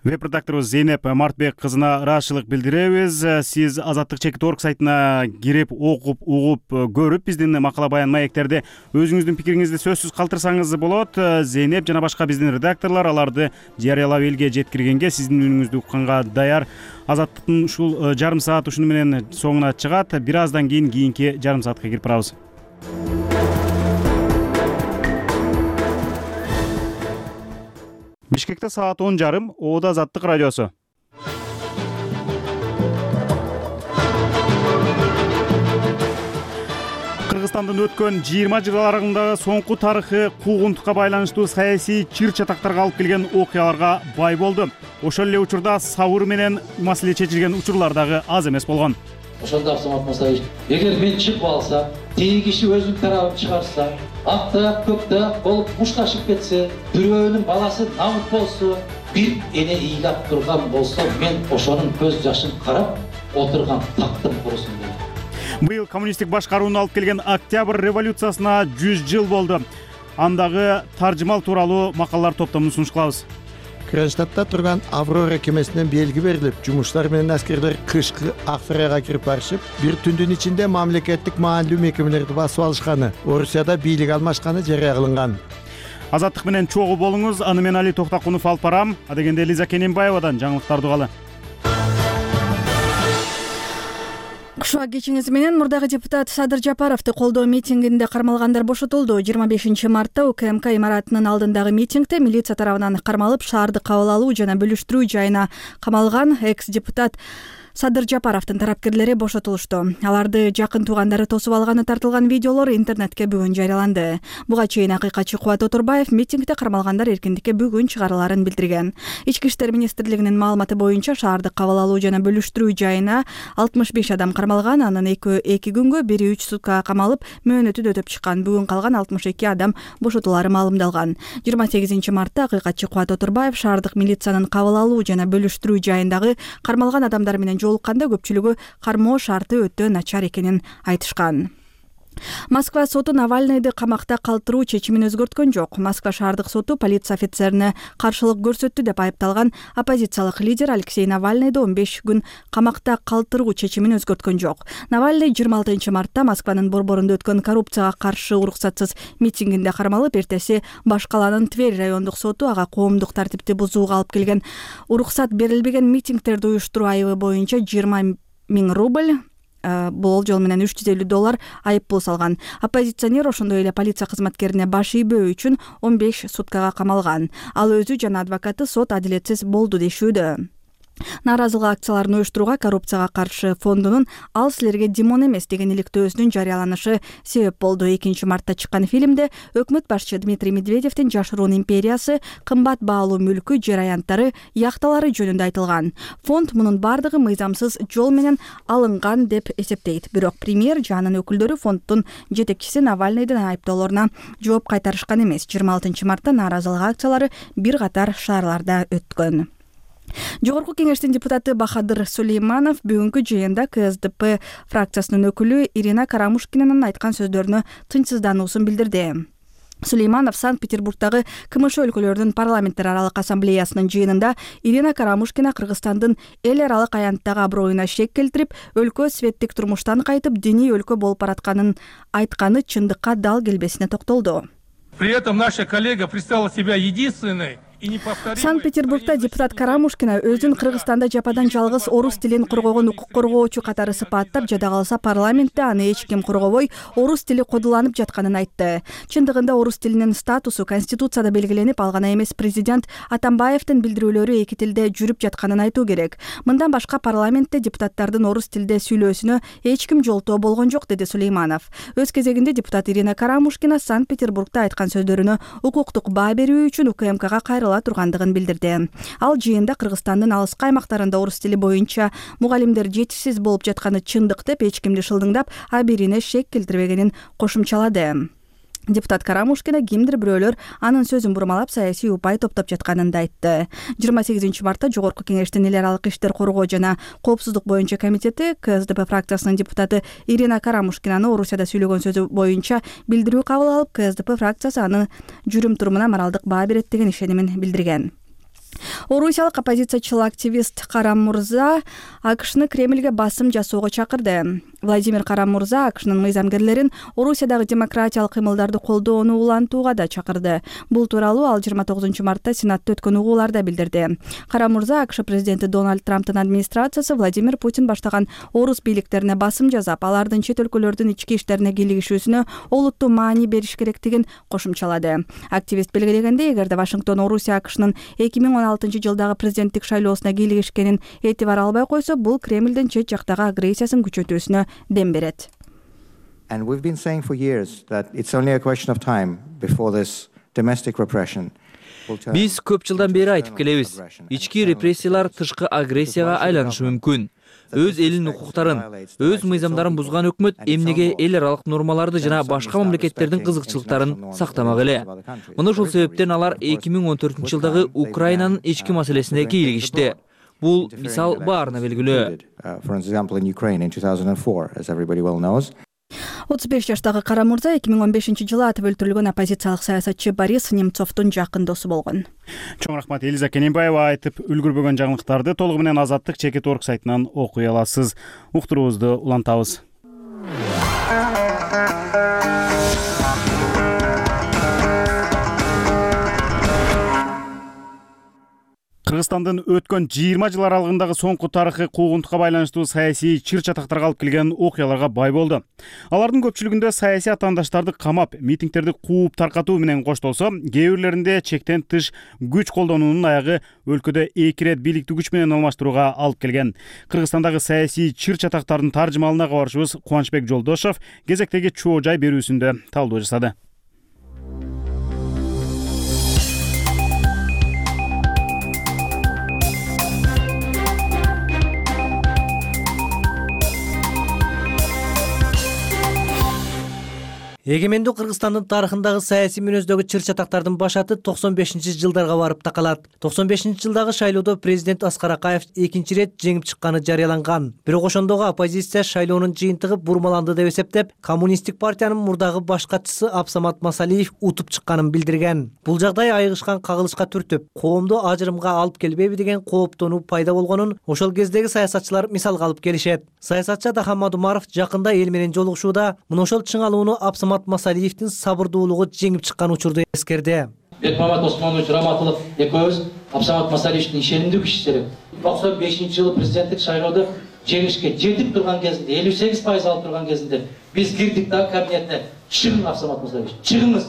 Веб-редакторубуз Зейнеп Мартбек кызына ыраазычылык билдиребиз. Сиз Азаттык чекит орг сайтына кирип, окуп, угуп, көрүп, биздин макала баян маектерде өзүңүздүн пикириңизди сөзсүз калтырсаңыз болот. Зейнеп жана башка биздин редакторлор аларды жарыялап элге жеткиргенге, сиздин үнүңүздү укканга даяр. Азаттыктын ушул жарым саат ушуну менен соңуна чыгат. Бир аздан кийин кийинки жарым саатка кирип барабыз. Бишкекте саат он жарым, Оодо Азаттык радиосу. Кыргызстандын өткөн жыйырма жыл аралыгындагы соңку тарыхы куугунтукка байланыштуу саясий чыр-чатактарга алып келген окуяларга бай болду. Ошол эле учурда сабыр менен маселе чечилген учурлар дагы аз эмес болгон. Ошондо Самат Мусаевич, эгер мен чыгып алса, тиги киши өзүнүн тарабын чыгарса, акта көктө болуп мушташып кетсе, бирөөнүн баласы намыт болсо, бир эне ыйлап турган болсо, мен ошонун көз жашын карап отурган тактым курусун дейм. Быйыл коммунисттик башкарууну алып келген Октябрь революциясына жүз жыл болду. Андагы таржымал тууралуу макалалар топтомун сунуш кылабыз. Кронштадтта турган Аврора кемесинен белги берилип, жумуштар менен аскерлер кышкы Аксарайга кирип барышып, бир түндүн ичинде мамлекеттик маанилүү мекемелерди басып алышканы, Орусияда бийлик алмашканы жарыя кылынган. Азаттык менен чогуу болуңуз. Аны мен Али Токтакунов алып барам. Адегенде Лиза Кененбаевадан жаңылыктарды угалы. Кушуа кечиңиз менен мурдагы депутат Садыр Жапаровду колдоо митингинде кармалгандар бошотулду. жыйырма бешинчи мартта УКМК имаратынын алдындагы митингде милиция тарабынан кармалып, шаарды кабыл алуу жана бөлүштүрүү жайына камалган экс-депутат Садыр Жапаровдун тарапкерлери бошотулушту. Аларды жакын туугандары тосуп алганы тартылган видеолор интернетке бүгүн жарыяланды. Буга чейин акыйкатчы Кубат Отурбаев митингде кармалгандар эркиндикке бүгүн чыгарыларын билдирген. Ички иштер министрлигинин маалыматы боюнча шаарды кабыл алуу жана бөлүштүрүү жайына алтымыш беш адам кармалган. Анын экөө эки күнгө, бири үч суткага камалып, мөөнөтүн өтөп чыккан. Бүгүн калган алтымыш эки адам бошотулары маалымдалган. жыйырма сегизинчи мартта акыйкатчы Кубат Отурбаев шаардык милициянын кабыл алуу жана бөлүштүрүү жайындагы кармалган адамдар менен жолукканда көпчүлүгү кармоо шарты өтө начар экенин айтышкан. Москва соту Навальныйды камакта калтыруу чечимин өзгөрткөн жок. Москва шаардык соту полиция офицерине каршылык көрсөттү деп айыпталган оппозициялык лидер Алексей Навальныйды он беш күн камакта калтыруу чечимин өзгөрткөн жок. Навальный жыйырма алтынчы мартта Москванын борборунда өткөн коррупцияга каршы уруксатсыз митингинде кармалып, эртеси Башкаланын Тверь райондук соту ага коомдук тартипти бузууга алып келген уруксат берилбеген митингтерди уюштуруу айыбы боюнча жыйырма миң рубль, бул жол менен үч жүз элүү доллар айып пул салган. Оппозиционер ошондой эле полиция кызматкерине баш ийбөө үчүн он беш суткага камалган. Ал өзү жана адвокаты сот адилетсиз болду дешүүдө. Нааразылык акцияларын уюштурууга коррупцияга каршы фондунун «Ал силерге Димон эмес» деген иликтөөсүнүн жарыяланышы себеп болду. экинчи мартта чыккан фильмде өкмөт башчы Дмитрий Медведевдин жашыруун империясы, кымбат баалуу мүлкү, жер аянттары, яхталары жөнүндө айтылган. Фонд мунун бардыгы мыйзамсыз жол менен алынган деп эсептейт. Бирок премьер жанын өкүлдөрү фонддун жетекчиси Навальныйдын айыптоолоруна жооп кайтарышкан эмес. жыйырма алтынчы мартта нааразылык акциялары бир катар шаарларда өткөн. Жогорку кеңештин депутаты Бахадыр Сулейманов бүгүнкү жыйында КСДП фракциясынын өкүлү Ирина Карамушкинанын айткан сөздөрүнө тынчсыздануусун билдирди. Сулейманов Санкт-Петербургдагы КМШ өлкөлөрүнүн парламенттер аралык ассамблеясынын жыйынында Ирина Карамушкина Кыргызстандын эл аралык аянттагы аброюна шек келтирип, өлкө светтик турмуштан кайтып, диний өлкө болуп баратканын айтканы чындыкка дал келбесине токтолду. При этом наша коллега представила себя единственной Санкт Петербургда депутат Карамушкина өзүн Кыргызстанда жападан жалгыз орус тилин коргогон укук коргоочу катары сыпаттап, жада калса парламентте аны эч ким коргобой, орус тили кодуланып жатканын айтты. Чындыгында орус тилинин статусу Конституцияда белгиленип, ал гана эмес президент Атамбаевдин билдирүүлөрү эки тилде жүрүп жатканын айтуу керек. Мындан башка парламентте депутаттардын орус тилде сүйлөөсүнө эч ким жолтоо болгон жок, деди Сулейманов. Өз кезегинде депутат Ирина Карамушкина Санкт Петербургда айткан сөздөрүнө укуктук баа берүү үчүн УКМКга кайрыла тургандыгын билдирди. Ал жыйында Кыргызстандын алыскы аймактарында орус тили боюнча мугалимдер жетишсиз болуп жатканы чындык деп, эч кимди шылдыңдап, абийирине шек келтирбегенин кошумчалады. Депутат Карамушкина кимдир бирөөлөр анын сөзүн бурмалап саясий упай топтоп жатканын да айтты. жыйырма сегизинчи мартта Жогорку Кеңештин эл аралык иштер коргоо жана коопсуздук боюнча комитети КСДП фракциясынын депутаты Ирина Карамушкинаны Орусияда сүйлөгөн сөзү боюнча билдирүү кабыл алып, КСДП фракциясы аны жүрүм турумуна моралдык баа берет деген ишенимин билдирген. Орусиялык оппозициячыл активист Карам Мурза АКШны Кремльге басым жасоого чакырды. Владимир Карам Мурза АКШнын мыйзамгерлерин Орусиядагы демократиялык кыймылдарды колдоону улантууга да чакырды. Бул тууралуу ал жыйырма тогузунчу мартта Сенатта өткөн угууларда билдирди. Карам Мурза АКШ президенти Дональд Трамптын администрациясы Владимир Путин баштаган орус бийликтерине басым жасап, алардын чет өлкөлөрдүн ички иштерине кийлигишүүсүнө олуттуу маани бериш керектигин кошумчалады. Активист белгилегендей, эгерде Вашингтон Орусия АКШнын эки миң он алтынчы жылдагы президенттик шайлоосуна кийлигишкенин этибар албай койсо, бул Кремлдин чет жактагы агрессиясын күчөтүүсүнө дем берет. And we've been saying for years that it's only a question of time before this domestic repression. Биз көп жылдан бери айтып келебиз. Ички репрессиялар тышкы агрессияга айланышы мүмкүн. Өз элинин укуктарын, өз мыйзамдарын бузган өкмөт эмнеге эл аралык нормаларды жана башка мамлекеттердин кызыкчылыктарын сактамак эле? Мына ушул себептен алар эки миң он төртүнчү жылдагы Украинанын ички маселесине кийлигишти. Бул мисал баарына белгилүү. отуз беш жаштагы Кара Мурза эки миң он бешинчи жылы атып өлтүрүлгөн оппозициялык саясатчы Борис Немцовдун жакын досу болгон. Чоң рахмат. Элиза Кененбаева айтып үлгүрбөгөн жаңылыктарды толугу менен Азаттык чекит орг сайтынан окуй аласыз. Уктуруубузду улантабыз. Кыргызстандын өткөн жыйырма жыл аралыгындагы соңку тарыхый куугунтукка байланыштуу саясий чыр чатактарга алып келген окуяларга бай болду. Алардын көпчүлүгүндө саясий атаандаштарды камап, митингдерди кууп таркатуу менен коштолсо, кээ бирлеринде чектен тыш күч колдонуунун аягы өлкөдө эки ирет бийликти күч менен алмаштырууга алып келген. Кыргызстандагы саясий чыр чатактардын таржымалына кабарчыбыз Кубанычбек Жолдошов кезектеги чоо жай берүүсүндө талдоо жасады. Эгемендүү Кыргызстандын тарыхындагы саясий мүнөздөгү чыр чатактардын башаты токсон бешинчи жылдарга барып такалат. токсон бешинчи жылдагы шайлоодо президент Аскар Акаев экинчи ирет жеңип чыкканы жарыяланган. Бирок ошондогу оппозиция шайлоонун жыйынтыгы бурмаланды деп эсептеп, коммунисттик партиянын мурдагы баш катчысы Абсамат Масалиев утуп чыкканын билдирген. Бул жагдай айыгышкан кагылышка түртүп, коомду ажырымга алып келбейби деген кооптонуу пайда болгонун ошол кездеги саясатчылар мисалга алып келишет. Саясатчы Дахан Мадумаров жакында эл менен жолугушууда мына ошол чыңалууну Абсамат Масалиевдин сабырдуулугу жеңип чыккан учурду эскерди. Бекмамат Осмонович Раматылов экөөбүз Абсамат Масалиевдин ишенимдүү кишиси. токсон бешинчи жылы президенттик шайлоодо жеңишке жетип турган кезинде, элүү сегиз пайыз алып турган кезинде биз кирдик да кабинетте. Чыгың Абсамат Масалиевич, чыгыңыз.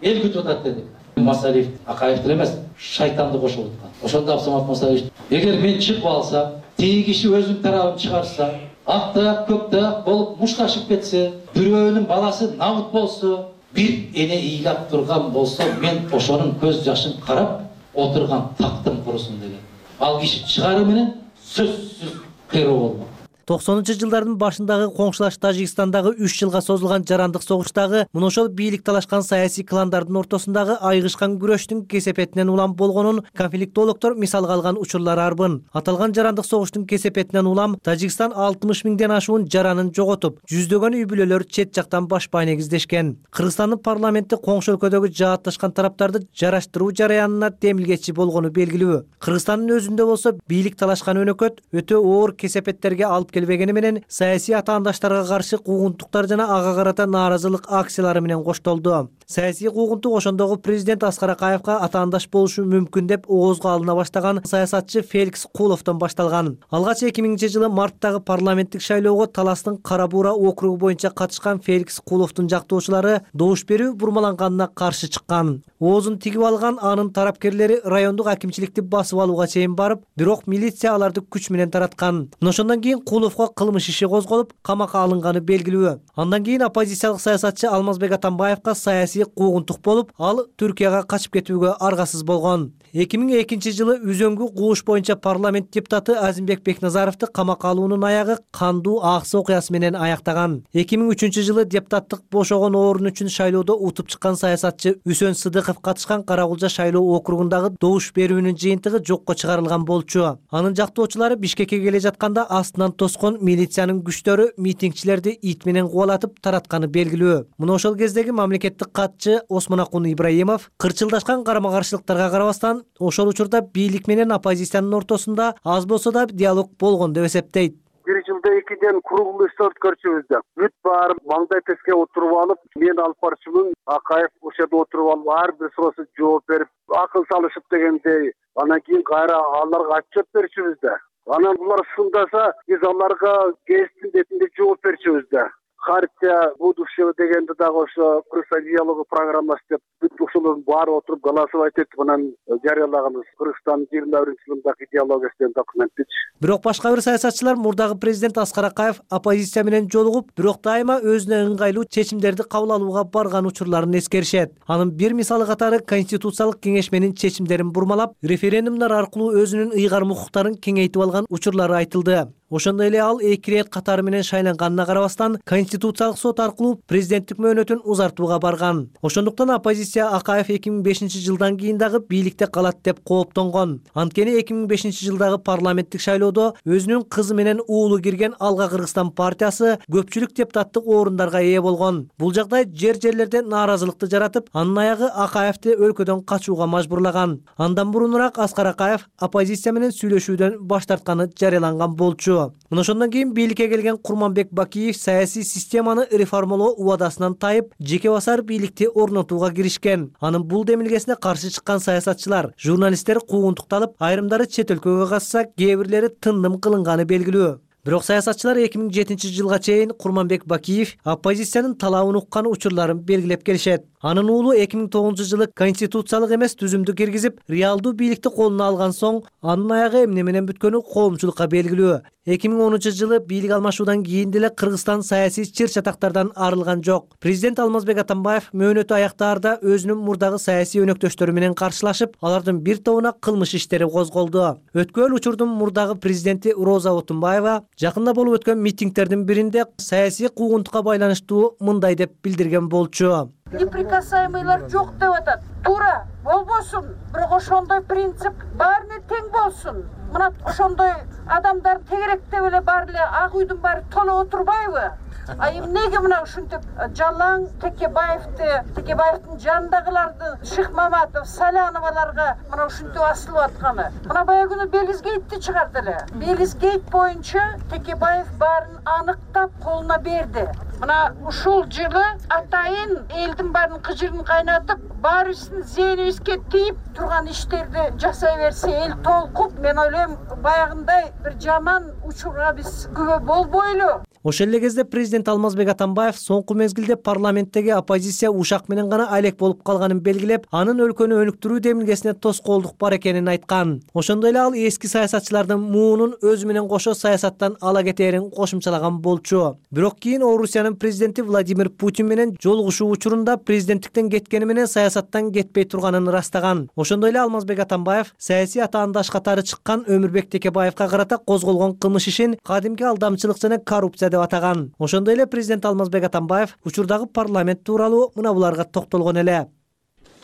Эл күтүп атат дедик. Масалиев Акаевдин эмес, шайтанды кошуп аткан. Ошондо Абсамат Масалиевич, эгер мен чыгып алсам, тиги киши өзүнүн тарабын чыгарса, акта көктө болуп мушташып кетсе, бирөөнүн баласы набыт болсо, бир эне ыйлап турган болсо, мен ошонун көз жашын карап отурган тактым курусун деген. Ал киши чыгаруу менен сөзсүз кыйроо болмок. токсонунчу жылдардын башындагы коңшулаш Тажикстандагы үч жылга созулган жарандык согуштагы мына ошол бийлик талашкан саясий кландардын ортосундагы айыгышкан күрөштүн кесепетинен улам болгонун конфликтологдор мисалга алган учурлар арбын. Аталган жарандык согуштун кесепетинен улам Тажикстан алтымыш миңден ашуун жаранын жоготуп, жүздөгөн үй бүлөлөр чет жактан башпай негиздешкен. Кыргызстандын парламенти коңшу өлкөдөгү жаатташкан тараптарды жараштыруу жараянына демилгечи болгону белгилүү. Кыргызстандын өзүндө болсо бийлик талашкан өнөкөт өтө оор кесепеттерге алып келбегени менен саясий атаандаштарга каршы куугунтуктар жана ага карата нааразылык акциялары менен коштолду. Саясий куугунтук ошондогу президент Аскар Акаевка атаандаш болушу мүмкүн деп оозго алына баштаган саясатчы Феликс Куловдон башталган. Алгач эки миңинчи жылы марттагы парламенттик шайлоого Таластын Кара Буура округу боюнча катышкан Феликс Куловдун жактоочулары добуш берүү бурмаланганына каршы чыккан. Оозун тигип алган анын тарапкерлери райондук акимчиликти басып алууга чейин барып, бирок милиция аларды күч менен тараткан. Ошондон кийин Куловго кылмыш иши козголуп, камакка алынганы белгилүү. Андан кийин оппозициялык саясатчы Алмазбек Атамбаевка саясий куугунтук болуп, ал Түркияга качып кетүүгө аргасыз болгон. эки миң экинчи жылы үзөңгү кууш боюнча парламент депутаты Азимбек Бекназаровду камакка алуунун аягы кандуу аксы окуясы менен аяктаган. эки миң үчүнчү жылы депутаттык бошогон орун үчүн шайлоодо утуп чыккан саясатчы Үсөн Сыдыков катышкан Каракулжа шайлоо округундагы добуш берүүнүн жыйынтыгы жокко чыгарылган болчу. Анын жактоочулары Бишкекке келе жатканда астынан тоскон милициянын күчтөрү митингчилерди ит менен кубалатып таратканы белгилүү. Мына ошол кездеги мамлекеттик катчы Осмонакун Ибраимов кырчылдашкан карама-каршылыктарга карабастан ошол учурда бийлик менен оппозициянын ортосунда аз болсо да диалог болгон деп эсептейт. Бир жылда экиден круглый стол өткөрчүбүз да. Бүт баары маңдай теске отуруп алып, мен алып барчумун, Акаев ошо жерде отуруп алып, ар бир суроосуна жооп берип, акыл салышып дегендей. Анан кийин кайра аларга отчет берчүбүз да. Анан булар сындаса, биз аларга кесиптин бетинде жооп берчүбүз да. Хартия будущего дегенде дагы ошо Кыргызстан диалогу программасы деп бүт ушулардын баары отуруп голосовать этип анан жарыялаганбыз. Кыргызстан жыйырма биринчи жылдагы идеологиясы деген документтичи. Бирок башка бир саясатчылар мурдагы президент Аскар Акаев оппозиция менен жолугуп, бирок дайыма өзүнө ыңгайлуу чечимдерди кабыл алууга барган учурларын эскеришет. Анын бир мисалы катары Конституциялык кеңешменин чечимдерин бурмалап, референдумдар аркылуу өзүнүн ыйгарым укуктарын кеңейтип алган учурлары айтылды. Ошондой эле ал эки ирет катары менен шайланганына карабастан Конституциялык сот аркылуу президенттик мөөнөтүн узартууга барган. Ошондуктан оппозиция Акаев эки миң бешинчи жылдан кийин дагы бийликте калат деп кооптонгон. Анткени эки миң бешинчи жылдагы парламенттик шайлоодо өзүнүн кызы менен уулу кирген Алга Кыргызстан партиясы көпчүлүк депутаттык орундарга ээ болгон. Бул жагдай жер жерлерде нааразылыкты жаратып, анын аягы Акаевди өлкөдөн качууга мажбурлаган. Андан мурунураак Аскар Акаев оппозиция менен сүйлөшүүдөн баш тартканы жарыяланган болчу. Мына ошондон кийин бийликке келген Курманбек Бакиев саясий системаны реформалоо убадасынан тайып, жеке басар бийликти орнотууга киришкен. Анын бул демилгесине каршы чыккан саясатчылар, журналисттер куугунтукталып, айрымдары чет өлкөгө качса, кээ бирлери тындым кылынганы белгилүү. Бирок саясатчылар эки миң жетинчи жылга чейин Курманбек Бакиев оппозициянын талабын уккан учурларын белгилеп келишет. Анын уулу эки миң тогузунчу жылы конституциялык эмес түзүмдү киргизип, реалдуу бийликти колуна алган соң, анын аягы эмне менен бүткөнү коомчулукка белгилүү. эки миң онунчу жылы бийлик алмашуудан кийин деле Кыргызстан саясий чыр чатактардан арылган жок. Президент Алмазбек Атамбаев мөөнөтү аяктаарда өзүнүн мурдагы саясий өнөктөштөрү менен каршылашып, алардын бир тобуна кылмыш иштери козголду. Өткөн учурдун мурдагы президенти Роза Отунбаева жакында болуп өткөн митингтердин биринде саясий куугунтукка байланыштуу мындай деп билдирген болчу. Неприкасаемыйлар жок деп атат. Туура болбосун, бирок ошондой принцип баарына тең болсун. Мына ошондой адамдар тегерек деп эле баары эле ак үйдүн баары толо отурбайбы? А эмнеге мына ушинтип жалаң Текебаевди, Текебаевдин жанындагыларды Шихмаматов, Саляноваларга мына ушинтип асылып атканы. Мына баягы күнү Белизгейтти чыгарды эле. Белизгейт боюнча Текебаев баарын аныктап колуна берди. Мына ушул жылы атайын элдин баарын кыжырын кайнатып, баарыбыздын зээнибизге тийип турган иштерди жасай берсе эл толкуп, мен ойлойм баягындай бир жаман учурга биз күбө болбойлу. Ошол эле кезде президент Алмазбек Атамбаев соңку мезгилде парламенттеги оппозиция ушак менен гана алек болуп калганын белгилеп, анын өлкөнү өнүктүрүү демилгесине тоскоолдук бар экенин айткан. Ошондой эле ал эски саясатчылардын муунун өзү менен кошо саясаттан ала кетээрин кошумчалаган болчу. Бирок кийин Орусиянын президенти Владимир Путин менен жолугушуу учурунда президенттиктен кеткени менен саясаттан кетпей турганын ырастаган. Ошондой эле Алмазбек Атамбаев саясий атаандаш катары чыккан Өмүрбек Текебаевка карата козголгон кылмыш ишин кадимки алдамчылык жана коррупция деп атаган. Ошондой эле президент Алмазбек Атамбаев учурдагы парламент тууралуу мына буларга токтолгон эле.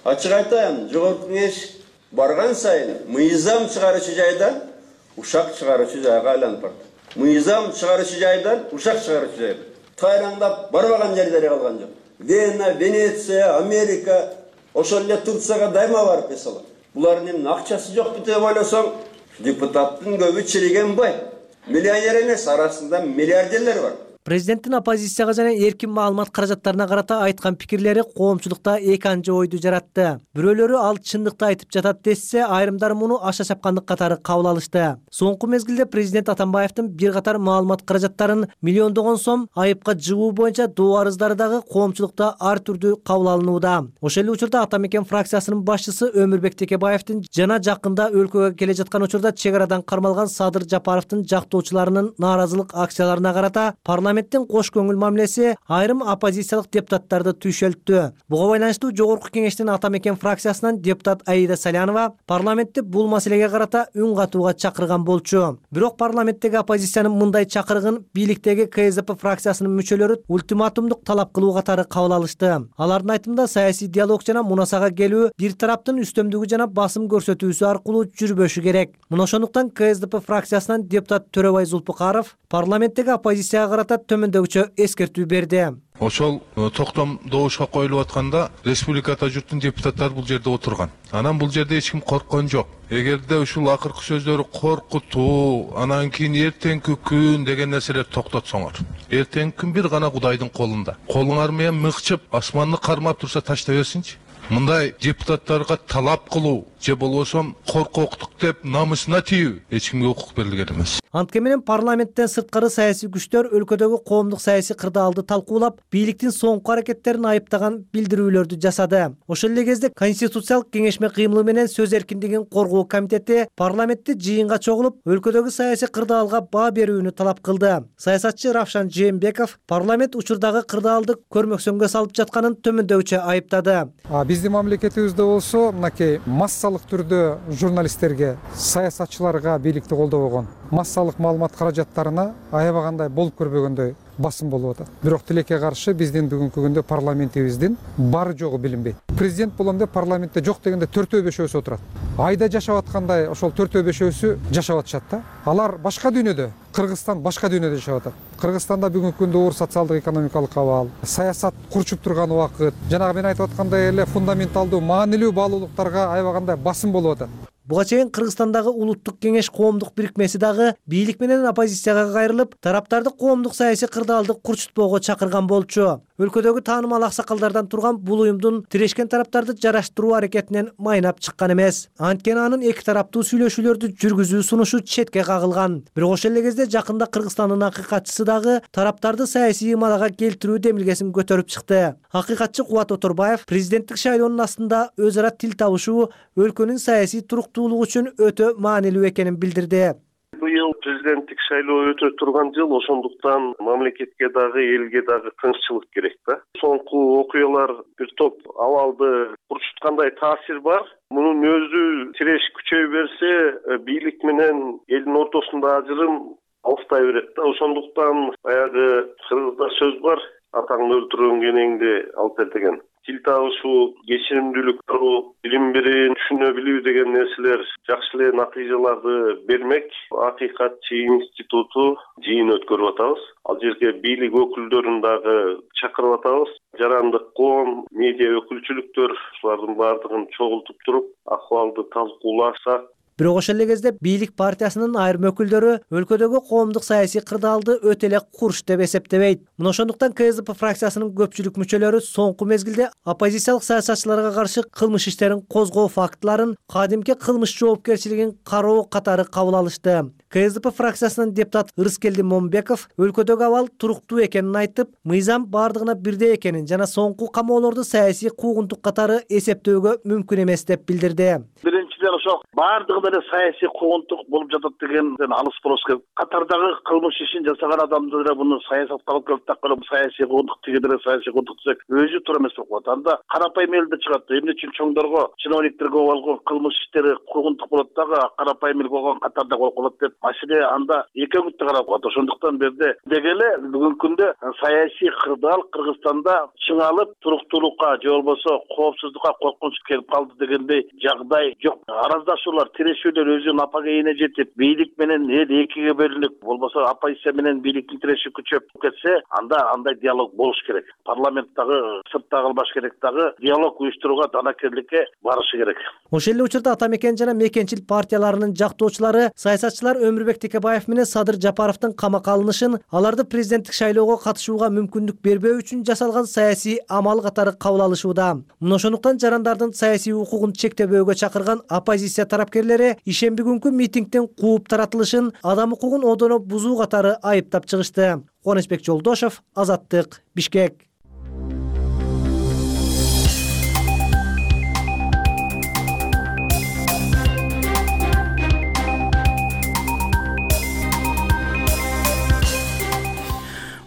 Ачык айтайын, жогорку кеңеш барган сайын мыйзам чыгаруучу жайдан ушак чыгаруучу жайга айланып барат. Мыйзам чыгаруучу жайдан ушак чыгаруучу жайга тайраңдап барбаган жерлери калган жок. Вена, Венеция, Америка, ошол эле Турцияга дайыма барып эсалат. Булардын акчасы жокпу деп ойлосоң, депутаттын көбү чириген бай. Миллионер эмес, арасында миллиардерлер бар. Президенттин оппозицияга жана эркин маалымат каражаттарына карата айткан пикирлери коомчулукта эки анча ойду жаратты. Бирөөлөрү ал чындыкты айтып жатат десе, айрымдары муну аша чапкандык катары кабыл алышты. Соңку мезгилде президент Атамбаевдин бир катар маалымат каражаттарын миллиондогон сом айыпка жыгуу боюнча доо арыздары дагы коомчулукта ар түрдүү кабыл алынууда. Ошол эле учурда Ата Мекен фракциясынын башчысы Өмүрбек Текебаевдин жана жакында өлкөгө келе жаткан учурда чек арадан кармалган Садыр Жапаровдун жактоочуларынын нааразылык акцияларына карата парламент Парламенттин кош көңүл мамилеси айрым оппозициялык депутаттарды түйшөлттү. Буга байланыштуу Жогорку Кеңештин Ата Мекен фракциясынан депутат Аида Салянова парламентти бул маселеге карата үн катууга чакырган болчу. Бирок парламенттеги оппозициянын мындай чакырыгын бийликтеги Ка Эс Д П фракциясынын мүчөлөрү ультиматумдук талап кылуу катары кабыл алышты. Алардын айтымында саясий диалог жана мунасага келүү бир тараптын үстөмдүгү жана басым көрсөтүүсү аркылуу жүрбөшү керек. Мына ошондуктан Ка Эс Д П фракциясынан депутат Төрөбай Зулпукаров парламенттеги оппозицияга карата төмөндөгүчө эскертүү берди. Ошол токтом добушка коюлуп атканда республикада журттун депутаттары бул жерде отурган. Анан бул жерде эч ким корккон жок. Эгерде ушул акыркы сөздөрү коркутуу, анан кийин эртеңки күн деген нерселер токтотсоңор. Эртеңки күн бир гана Кудайдын колунда. Колуңар менен мыкчып, асманды кармап турса таштай берсинчи. Мындай депутаттарга талап кылуу же болбосо коркоктук деп намысына тийүү эч кимге укук берилген эмес. Антке менен парламенттен сырткары саясий күчтөр өлкөдөгү коомдук саясий кырдаалды талкуулап, бийликтин соңку аракеттерин айыптаган билдирүүлөрдү жасады. Ошол эле кезде Конституциялык кеңешме кыймылы менен сөз эркиндигин коргоо комитети парламентти жыйынга чогулуп, өлкөдөгү саясий кырдаалга баа берүүнү талап кылды. Саясатчы Равшан Жээнбеков парламент учурдагы кырдаалды көрмөксөнгө салып жатканын төмөндөгүчө айыптады. Биздин мамлекетибизде болсо, мынакей массалык түрдө журналисттерге, саясатчыларга бийликти колдобогон, массалык маалымат каражаттарына аябагандай болуп көрбөгөндөй басым болуп атат. Бирок тилекке каршы биздин бүгүнкү күндө парламентибиздин бары жогу билинбейт. Президент болом деп парламентте жок дегенде төртөө бешөөсү отурат. Айда жашап аткандай ошол төртөө бешөөсү жашап атышат да. Алар башка дүйнөдө, Кыргызстан башка дүйнөдө жашап атат. Кыргызстанда бүгүнкү күндө оор социалдык экономикалык абал, саясат курчуп турган убакыт, жанагы мен айтып аткандай эле фундаменталдуу, маанилүү баалуулуктарга аябагандай басым болуп атат. Буга чейин Кыргызстандагы улуттук кеңеш коомдук бирикмеси дагы бийлик менен оппозицияга кайрылып, тараптарды коомдук саясий кырдаалды курчутпоого чакырган болчу. Өлкөдөгү таанымал аксакалдардан турган бул уюмдун тирешкен тараптарды жараштыруу аракетинен майнап чыккан эмес. Анткени анын эки тараптуу сүйлөшүүлөрдү жүргүзүү сунушу четке кагылган. Бирок ошол эле кезде жакында Кыргызстандын акыйкатчысы дагы тараптарды саясий ымалага келтирүү демилгесин көтөрүп чыкты. Акыйкатчы Кубат Оторбаев президенттик шайлоонун астында өз ара тил табышуу өлкөнүн саясий туруктуулугу үчүн өтө маанилүү экенин билдирди. Быйыл президенттик шайлоо өтө турган жыл, ошондуктан мамлекетке дагы элге дагы тынччылык керек да. Соңку окуялар бир топ абалды курчуткандай таасир бар. Мунун өзү тиреш күчөй берсе, бийлик менен элдин ортосунда ажырым алыктай берет да. Ошондуктан баягы кыргызда сөз бар, атаңды өлтүргөн кенеңди алып бер деген. Тил табышуу, кечиримдүүлүк көрүү, билим бирин түшүнө билүү деген нерселер жакшы эле натыйжаларды бермек. Акыйкатчы институту жыйын өткөрүп атабыз. Ал жерге бийлик өкүлдөрүн дагы чакырып атабыз. Жарандык коом, медиа өкүлчүлүктөр ушулардын баардыгын чогултуп туруп, акыбалды талкуулашсак. Бирок ошол эле кезде бийлик партиясынын айрым өкүлдөрү өлкөдөгү коомдук саясий кырдаалды өтө эле курч деп эсептебейт. Мына ошондуктан Ка Эс Д П фракциясынын көпчүлүк мүчөлөрү соңку мезгилде оппозициялык саясатчыларга каршы кылмыш иштерин козгоо фактыларын, кадимки кылмыш жоопкерчилигин кароо катары кабыл алышты. Ка Эс Д П фракциясынын депутат Ырыскелди Момбеков өлкөдөгү абал туруктуу экенин айтып, мыйзам бардыгына бирдей экенин жана соңку камоолорду саясий куугунтук катары эсептөөгө мүмкүн эмес деп билдирди. Биринчиден ошо бардыгы деле саясий куугунтук болуп жатат дегенден алыс болуш керек. Катардагы кылмыш ишин жасаган адамды деле муну саясатка алып келип такырып саясий куугунтук тиги деле саясий куугунтук десек өзү туура эмес болуп калат. Анда карапайым элде чыгат. Эмне үчүн чоңдорго, чиновниктерге болгон кылмыш иштери куугунтук болот дагы карапайым эл болгон катарда болуп калат деп маселе анда эки өңүттө карап калат. Ошондуктан берде деги эле бүгүнкү күндө саясий кырдаал Кыргызстанда чыңалып, туруктуулукка же болбосо коопсуздукка коркунуч келип калды дегендей жагдай жок. араздашуулар, тирешүүлөр өзүнүн апага эне жетип, бийлик менен эл экиге бөлүнүп, болбосо оппозиция менен бийликтин тиреши күчөп кетсе, анда андай диалог болуш керек. Парламент дагы сыртта калбаш керек, дагы диалог уюштурууга, данакерликке барышы керек. Ошол эле учурда ата мекен жана мекенчил партияларынын жактоочулары саясатчылар Өмүрбек Текебаев менен Садыр Жапаровдун камакка алынышын аларды президенттик шайлоого катышууга мүмкүндүк бербөө үчүн жасалган саясий амал катары кабыл алышууда. Мына ошондуктан жарандардын саясий укугун чектебөөгө чакырган оппозиция тарапкерлери ишемби күнкү митингден кууп таратылышын адам укугун одоно бузуу катары айыптап чыгышты. Кубанычбек Жолдошов, Азаттык, Бишкек.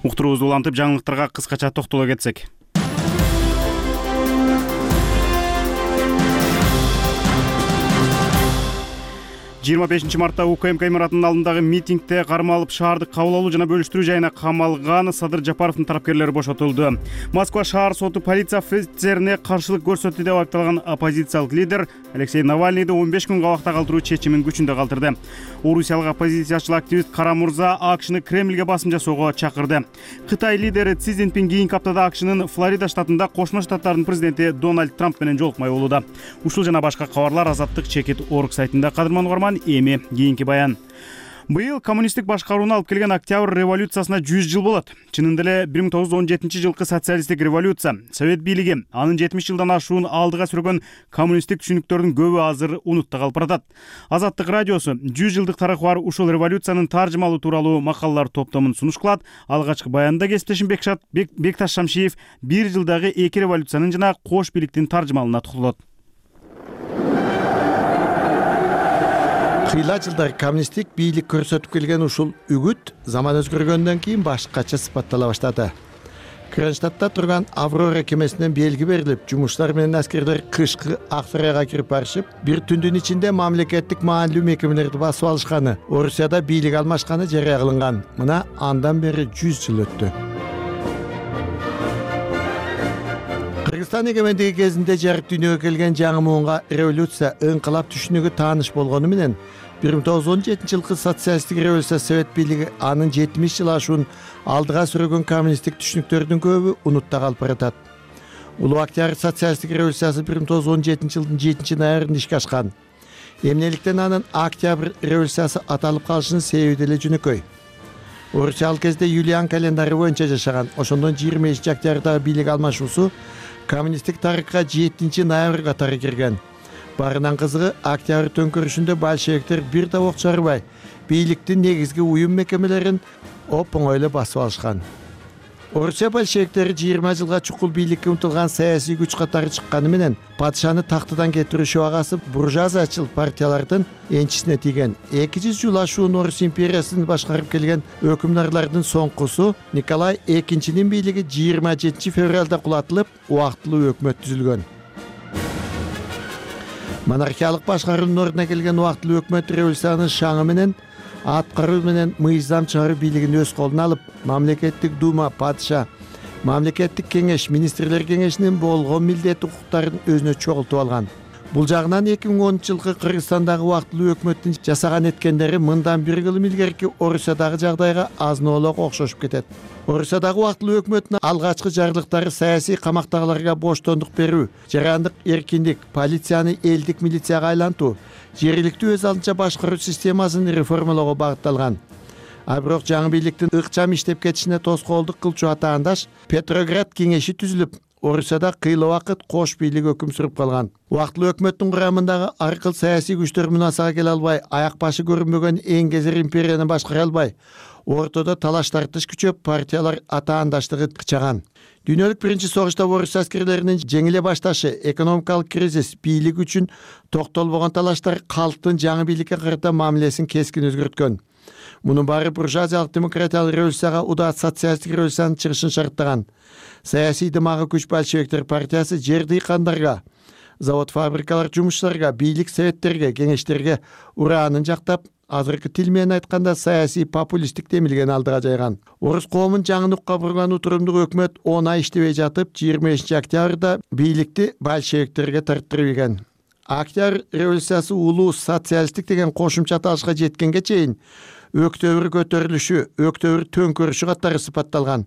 Уктуруубузду улантып, жаңылыктарга кыскача токтоло кетсек. жыйырма бешинчи мартта УКМК имаратынын алдындагы митингде кармалып шаарды кабыл алуу жана бөлүштүрүү жайына камалган Садыр Жапаровдун тарапкерлери бошотулду. Москва шаар соту полиция офицерине каршылык көрсөттү деп айыпталган оппозициялык лидер Алексей Навальныйды он беш күн кабакта калтыруу чечимин күчүндө калтырды. Орусиялык оппозициячыл активист Кара Мурза АКШны Кремльге басым жасоого чакырды. Кытай лидери Си Цзиньпин кийинки аптада АКШнын Флорида штатында Кошмо Штаттардын президенти Дональд Трамп менен жолукмай болууда. Ушул жана башка кабарлар Азаттык чекит орг сайтында. Кадырман угарман, эми кийинки баян. Быйыл коммунисттик башкарууну алып келген Октябрь революциясына жүз жыл болот. Чынында эле бир миң тогуз жүз он жетинчи жылкы социалисттик революция, Совет бийлиги, анын жетимиш жылдан ашуун алдыга сүргөн коммунисттик түшүнүктөрдүн көбү азыр унутта калып баратат. Азаттык радиосу жүз жылдык тарыхы бар ушул революциянын таржымалуу тууралуу макалалар топтомун сунуш кылат. Алгачкы баянда кесиптешим Бекшат Бекташ Шамшиев бир жылдагы эки революциянын жана кош бийликтин таржымалына токтолот. Кыйла жылдар коммунисттик бийлик көрсөтүп келген ушул үгүт заман өзгөргөндөн кийин башкача сыпаттала баштады. Кронштадтта турган Аврора кемесинен белги берилип, жумушчулар менен аскерлер кышкы Аксарайга кирип барышып, бир түндүн ичинде мамлекеттик маанилүү мекемелерди басып алышканы, Орусияда бийлик алмашканы жарыя кылынган. Мына андан бери жүз жыл өттү. Кыргызстан эгемендиги кезинде жарык дүйнөгө келген жаңы муунга революция, ыңкылап түшүнүгү тааныш болгону менен бир миң тогуз жүз он жетинчи жылкы социалисттик революция Совет бийлиги анын жетимиш жыл ашуун алдыга сүргөн коммунисттик түшүнүктөрдүн көбү унутта калып баратат. Улуу Октябрь социалисттик революциясы бир миң тогуз жүз он жетинчи жылдын жетинчи ноябрында ишке ашкан. Эмнеликтен анын Октябрь революциясы аталып калышынын себеби деле жөнөкөй. Орусия ал кезде Юлиан календары боюнча жашаган. Ошондон жыйырма бешинчи октябрдагы бийлик алмашуусу коммунисттик тарыхка жетинчи ноябрь катары кирген. Барынан кызыгы, Октябрь төңкөрүшүндө большевиктер бир да ок чарбай, бийликтин негизги уюм мекемелерин оп-оңой эле басып алышкан. Орусия большевиктери жыйырма жылга чукул бийликке умтулган саясий күч катары чыкканы менен падышаны тактыдан кетирүү шабагасы буржуазиячыл партиялардын энчисине тийген. эки жүз жыл ашуун Орус империясын башкарып келген өкүмдарлардын соңкусу Николай экинчинин бийлиги жыйырма жетинчи февралда кулатылып, убактылуу өкмөт түзүлгөн. Монархиялык башкаруунун ордуна келген убактылуу өкмөт революциянын шаңы менен аткаруу менен мыйзам чыгаруу бийлигин өз колуна алып, мамлекеттик дума, падыша, мамлекеттик кеңеш, министрлер кеңешинин болгон милдет укуктарын өзүнө чогултуп алган. Бул жагынан эки миң онунчу жылкы Кыргызстандагы убактылуу өкмөттүн жасаган эткендери мындан бир кылым илгерки Орусиядагы жагдайга азын-олок окшошуп кетет. Орусиядагы убактылуу өкмөттүн алгачкы жарлыктары саясий камактагыларга боштондук берүү, жарандык эркиндик, полицияны элдик милицияга айлантуу, жергиликтүү өз алдынча башкаруу системасын реформалоого багытталган. А бирок жаңы бийликтин ыкчам иштеп кетишине тоскоолдук кылчу атаандаш Петроград кеңеши түзүлүп, Орусияда кыйла убакыт кош бийлик өкүм сүрүп калган. Убактылуу өкмөттүн курамындагы ар кыл саясий күчтөр мунасага келе албай, аяк башы көрүнбөгөн эң кезер империяны башкара албай, ортодо талаш тартыш күчөп, партиялар атаандаштыгы кычаган. Дүйнөлүк биринчи согушта Орус аскерлеринин жеңиле башташы, экономикалык кризис, бийлик үчүн токтолбогон талаштар калктын жаңы бийликке карата мамилесин кескин өзгөрткөн. Мунун баары буржуазиялык демократиялык революцияга удат социалисттик революциянын чыгышын шарттаган. Саясий дымагы күч большевиктер партиясы жер дыйкандарга, завод фабрикалар жумушчуларга, бийлик советтерге, кеңештерге ураанын жактап, азыркы тил менен айтканда саясий популисттик демилген алдыга жайган. Орус коомун жаңыныкка бурган утурумдук өкмөт он ай иштебей жатып, жыйырма бешинчи октябрда бийликти большевиктерге тарттырып ийген. Октябрь революциясы улуу социалисттик деген кошумча аталышка жеткенге чейин өктөбүр көтөрүлүшү, өктөбүр төңкөрүшү катары сыпатталган.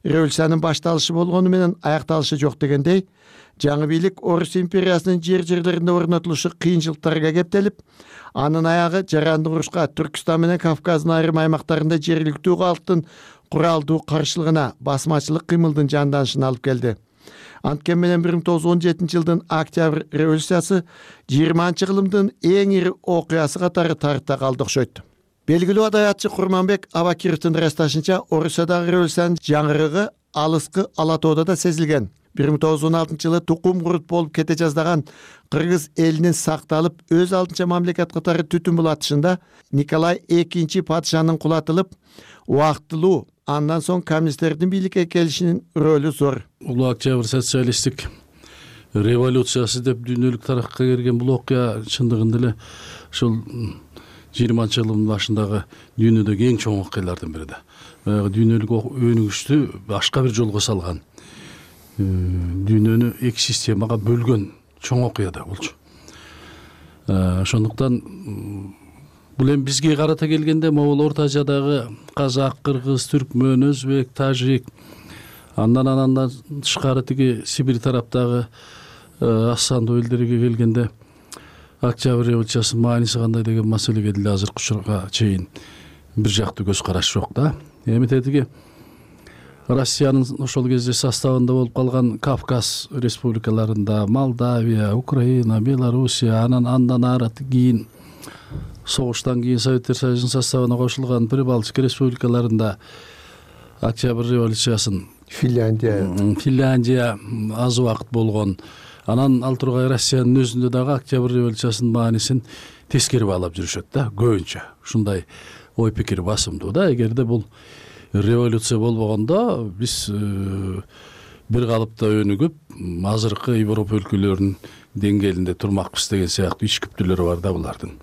Революциянын башталышы болгону менен аякталышы жок дегендей, жаңы бийлик Орус империясынын жер-жерлеринде орнотулушу кыйынчылыктарга кептелип, анын аягы жарандык урушка Түркстан менен Кавказдын айрым аймактарында жергиликтүү калктын куралдуу каршылыгына, басмачылык кыймылдын жанданышына алып келди. Анткени менен бир миң тогуз жүз он жетинчи жылдын Октябрь революциясы жыйырманчы кылымдын эң ири окуясы катары тарыхта калды окшойт. Белгилүү адаятчы Курманбек Абакировдун ырасташынча, Орусиядагы революциянын жаңырыгы алыскы Ала тоодо да сезилген. бир миң тогуз жүз он алтынчы жылы тукум курут болуп кете жаздаган кыргыз элинин сакталып, өз алдынча мамлекет катары түтүн булатышында Николай экинчи падышанын кулатылып, убактылуу, андан соң коммунисттердин бийликке келишинин рөлү зор. Улуу Октябрь социалисттик революциясы деп дүйнөлүк тарыхка кирген бул окуя чындыгында эле ушул жыйырманчы жылдын башындагы дүйнөдөгү эң чоң окуялардын бири да. Баягы дүйнөлүк өнүгүштү башка бир жолго салган, дүйнөнү эки системага бөлгөн чоң окуя да болчу. Ошондуктан бул эми бизге карата келгенде могул Орто Азиядагы казак, кыргыз, түркмөн, өзбек, тажик, андан андан тышкары тиги Сибирь тараптагы Ассанду элдерге келгенде Октябрь революциясынын мааниси кандай деген маселеге деле азыркы учурга чейин бир жактуу көз караш жок да. Эми тетиги Россиянын ошол кезде составында болуп калган Кавказ республикаларында Молдавия, Украина, Белоруссия, анан андан ары кийин согуштан кийин Советтер Союзунун составына кошулган Прибалтика республикаларында Октябрь революциясын Финляндия Финляндия аз убакыт болгон. Анан ал тургай Россиянын өзүндө дагы Октябрь революциясынын маанисин тескери баалап жүрүшөт да, көбүнчө. Ушундай ой пикир басымдуу да. Эгерде бул революция болбогондо биз бир калыпта өнүгүп, азыркы Европа өлкөлөрүнүн деңгээлинде турмакпыз деген сыяктуу ич күптүүлөр бар да булардын.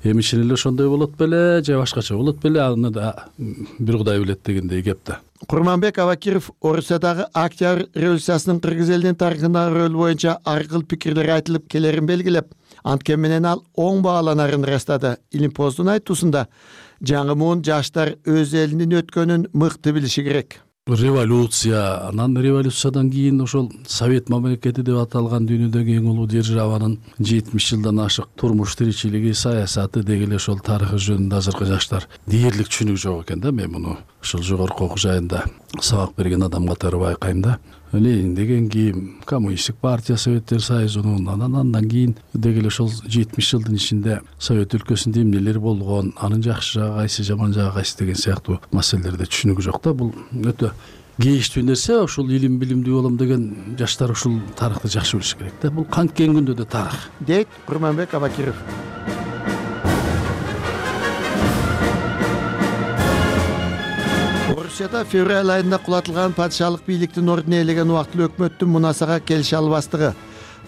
Эми чын эле ошондой болот беле, же башкача болот беле, аны да бир Кудай билет дегендей кеп да. Курманбек Абакиров Орусиядагы Октябрь революциясынын кыргыз элинин тарыхындагы рөлү боюнча ар кыл пикирлер айтылып келерин белгилеп, анткени менен ал оң бааланарын ырастады. Илимпоздун айтуусунда жаңы муун жаштар өз элинин өткөнүн мыкты билиши керек. Революция, анан революциядан кийин ошол Совет мамлекети деп аталган дүйнөдөгү эң улуу державанын жетимиш жылдан ашык турмуш тиричилиги, саясаты деги эле ошол тарыхы жөнүндө азыркы жаштар дээрлик түшүнүк жок экен да. Мен муну ушул жогорку окуу жайында сабак берген адам катары байкайм да. Ленин деген кийин коммунисттик партия, Советтер Союзунун, анан андан кийин деги эле ошол жетимиш жылдын ичинде Совет өлкөсүндө эмнелер болгон, анын жакшы жагы кайсы, жаман жагы кайсы деген сыяктуу маселелерде түшүнүк жок да. Бул өтө кейиштүү нерсе. Ушул илим билимдүү болом деген жаштар ушул тарыхты жакшы билиш керек да. Бул канткен күндө да тарых. Дейт Курманбек Абакиров. Орусияда февраль айында кулатылган падышалык бийликтин ордун ээлеген убактылуу өкмөттүн мунасага келише албастыгы,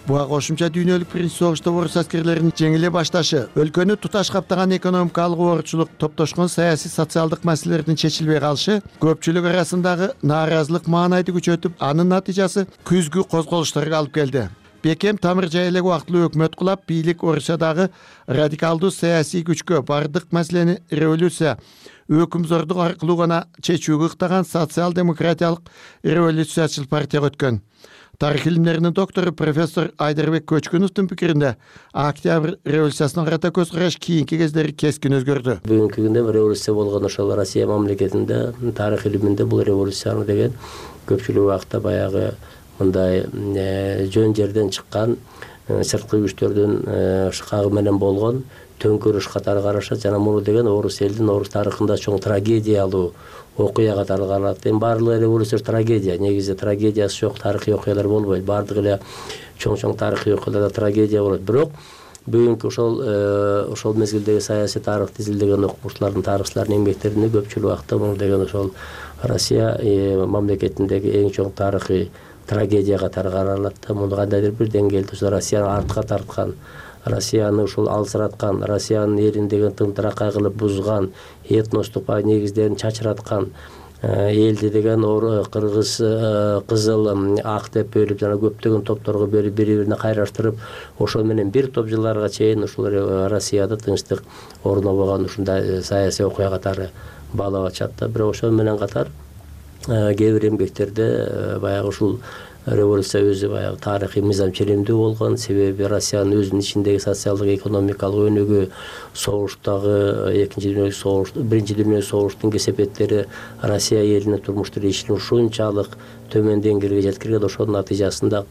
буга кошумча дүйнөлүк биринчи согушта орус аскерлеринин жеңиле башташы, өлкөнү туташ каптаган экономикалык оорчулук, топтошкон саясий социалдык маселелердин чечилбей калышы көпчүлүк арасындагы нааразылык маанайды күчөтүп, анын натыйжасы күзгү козголуштарга алып келди. Бекем тамыр жай элек убактылуу өкмөт кулап, бийлик Орусиядагы радикалдуу саясий күчкө бардык маселени революция, өкүмзордук аркылуу гана чечүүгө ыктаган социал-демократиялык революциячыл партияга өткөн. Тарых илимдеринин доктору профессор Айдарбек Көчкүновдун пикиринде, Октябрь революциясына карата көз караш кийинки кездери кескин өзгөрдү. Бүгүнкү күндө революция болгон ошол Россия мамлекетинде тарых илиминде бул революцияны деген көпчүлүк убакта баягы мындай жөн жерден чыккан сырткы күчтөрдүн шыкагы менен болгон төңкөрүш катары карашат жана муну деген орус элдин орус тарыхында чоң трагедиялуу окуя катары каралат. Эми баардык революция трагедия, негизи трагедиясы жок тарыхый окуялар болбойт. Баардык эле чоң-чоң тарыхый окуяларда трагедия болот. Бирок бүгүнкү ошол ошол мезгилдеги саясий тарыхты изилдеген окумуштуулардын, тарыхчылардын эмгектеринде көпчүлүк убакта муну деген ошол Россия мамлекетиндеги эң чоң тарыхый трагедия катары каралат да. Муну кандайдыр бир деңгээлде ошол Россияны артка тарткан, Россияны ушул алсыраткан, Россиянын элин деген тымтыракай кылып бузган, этностук негиздерин чачыраткан, элди деген кыргыз, кызыл, ак деп бөлүп жана көптөгөн топторго бөлүп бири бирине кайраштырып, ошол менен бир топ жылдарга чейин ушул Россияда тынчтык орнобогон ушундай саясий окуя катары баалап атышат да. Бирок ошол менен катар кээ бир эмгектерде баягы ушул революция өзү баягы тарыхый мыйзам ченемдүү болгон. Себеби Россиянын өзүнүн ичиндеги социалдык экономикалык өнүгүү, согуштагы экинчи дүйнөлүк согуш, биринчи дүйнөлүк согуштун кесепеттери Россия элинин турмуш тиричилигин ушунчалык төмөн деңгээлге жеткирген. Ошонун натыйжасында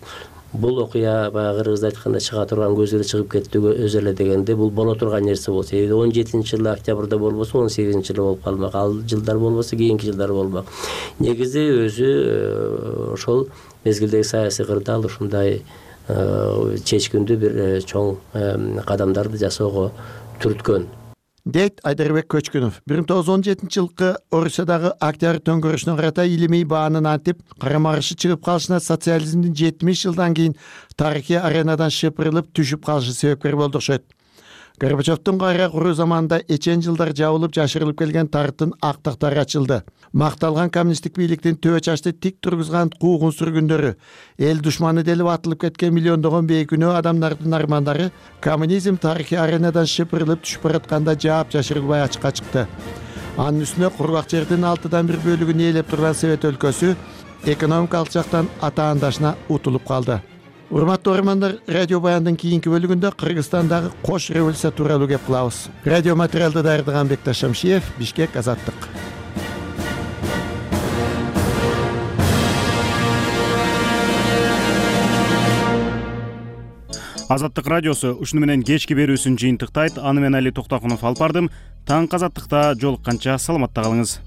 бул окуя баягы кыргызда айтканда чыга турган көзгө чыгып кетти өзү эле дегенде бул боло турган нерсе болсо, он жетинчи жылы октябрда болбосо он сегизинчи жылы болуп калмак, ал жылдар болбосо кийинки жылдар болмак. Негизи өзү ошол мезгилдеги саясий кырдаал ушундай чечкиндүү бир чоң кадамдарды жасоого түрткөн дейт Айдарбек Көчкүнов. бир миң тогуз жүз он жетинчи жылкы Орусиядагы Октябрь төңкөрүшүнө карата илимий баанын антип карама каршы чыгып калышына социализмдин жетимиш жылдан кийин тарыхый аренадан шыпырылып түшүп калышы себепкер болду окшойт. Горбачевдун кайра куруу заманында эчен жылдар жабылып жашырылып келген тарыхтын актактары ачылды. Макталган коммунисттик бийликтин төбө чачты тик тургузган куугун сүргүндөрү, эл душманы делип атылып кеткен миллиондогон бейкүнөө адамдардын армандары коммунизм тарыхый аренадан шыпырылып түшүп баратканда жаап жашырылбай ачыкка чыкты. Анын үстүнө кургак жердин алтыдан бир бөлүгүн ээлеп турган Совет өлкөсү экономикалык жактан атаандашына утулуп калды. Урматтуу көрөрмандар, радио баяндын кийинки бөлүгүндө Кыргызстандагы кош революция тууралуу кеп кылабыз. Радио материалды даярдаган Бекташ Шамшиев, Бишкек, Азаттык. Азаттык радиосу ушуну менен кечки берүүсүн жыйынтыктайт. Аны мен Али Токтокунов алып бардым. Таң Азаттыкта жолукканча саламатта калыңыз.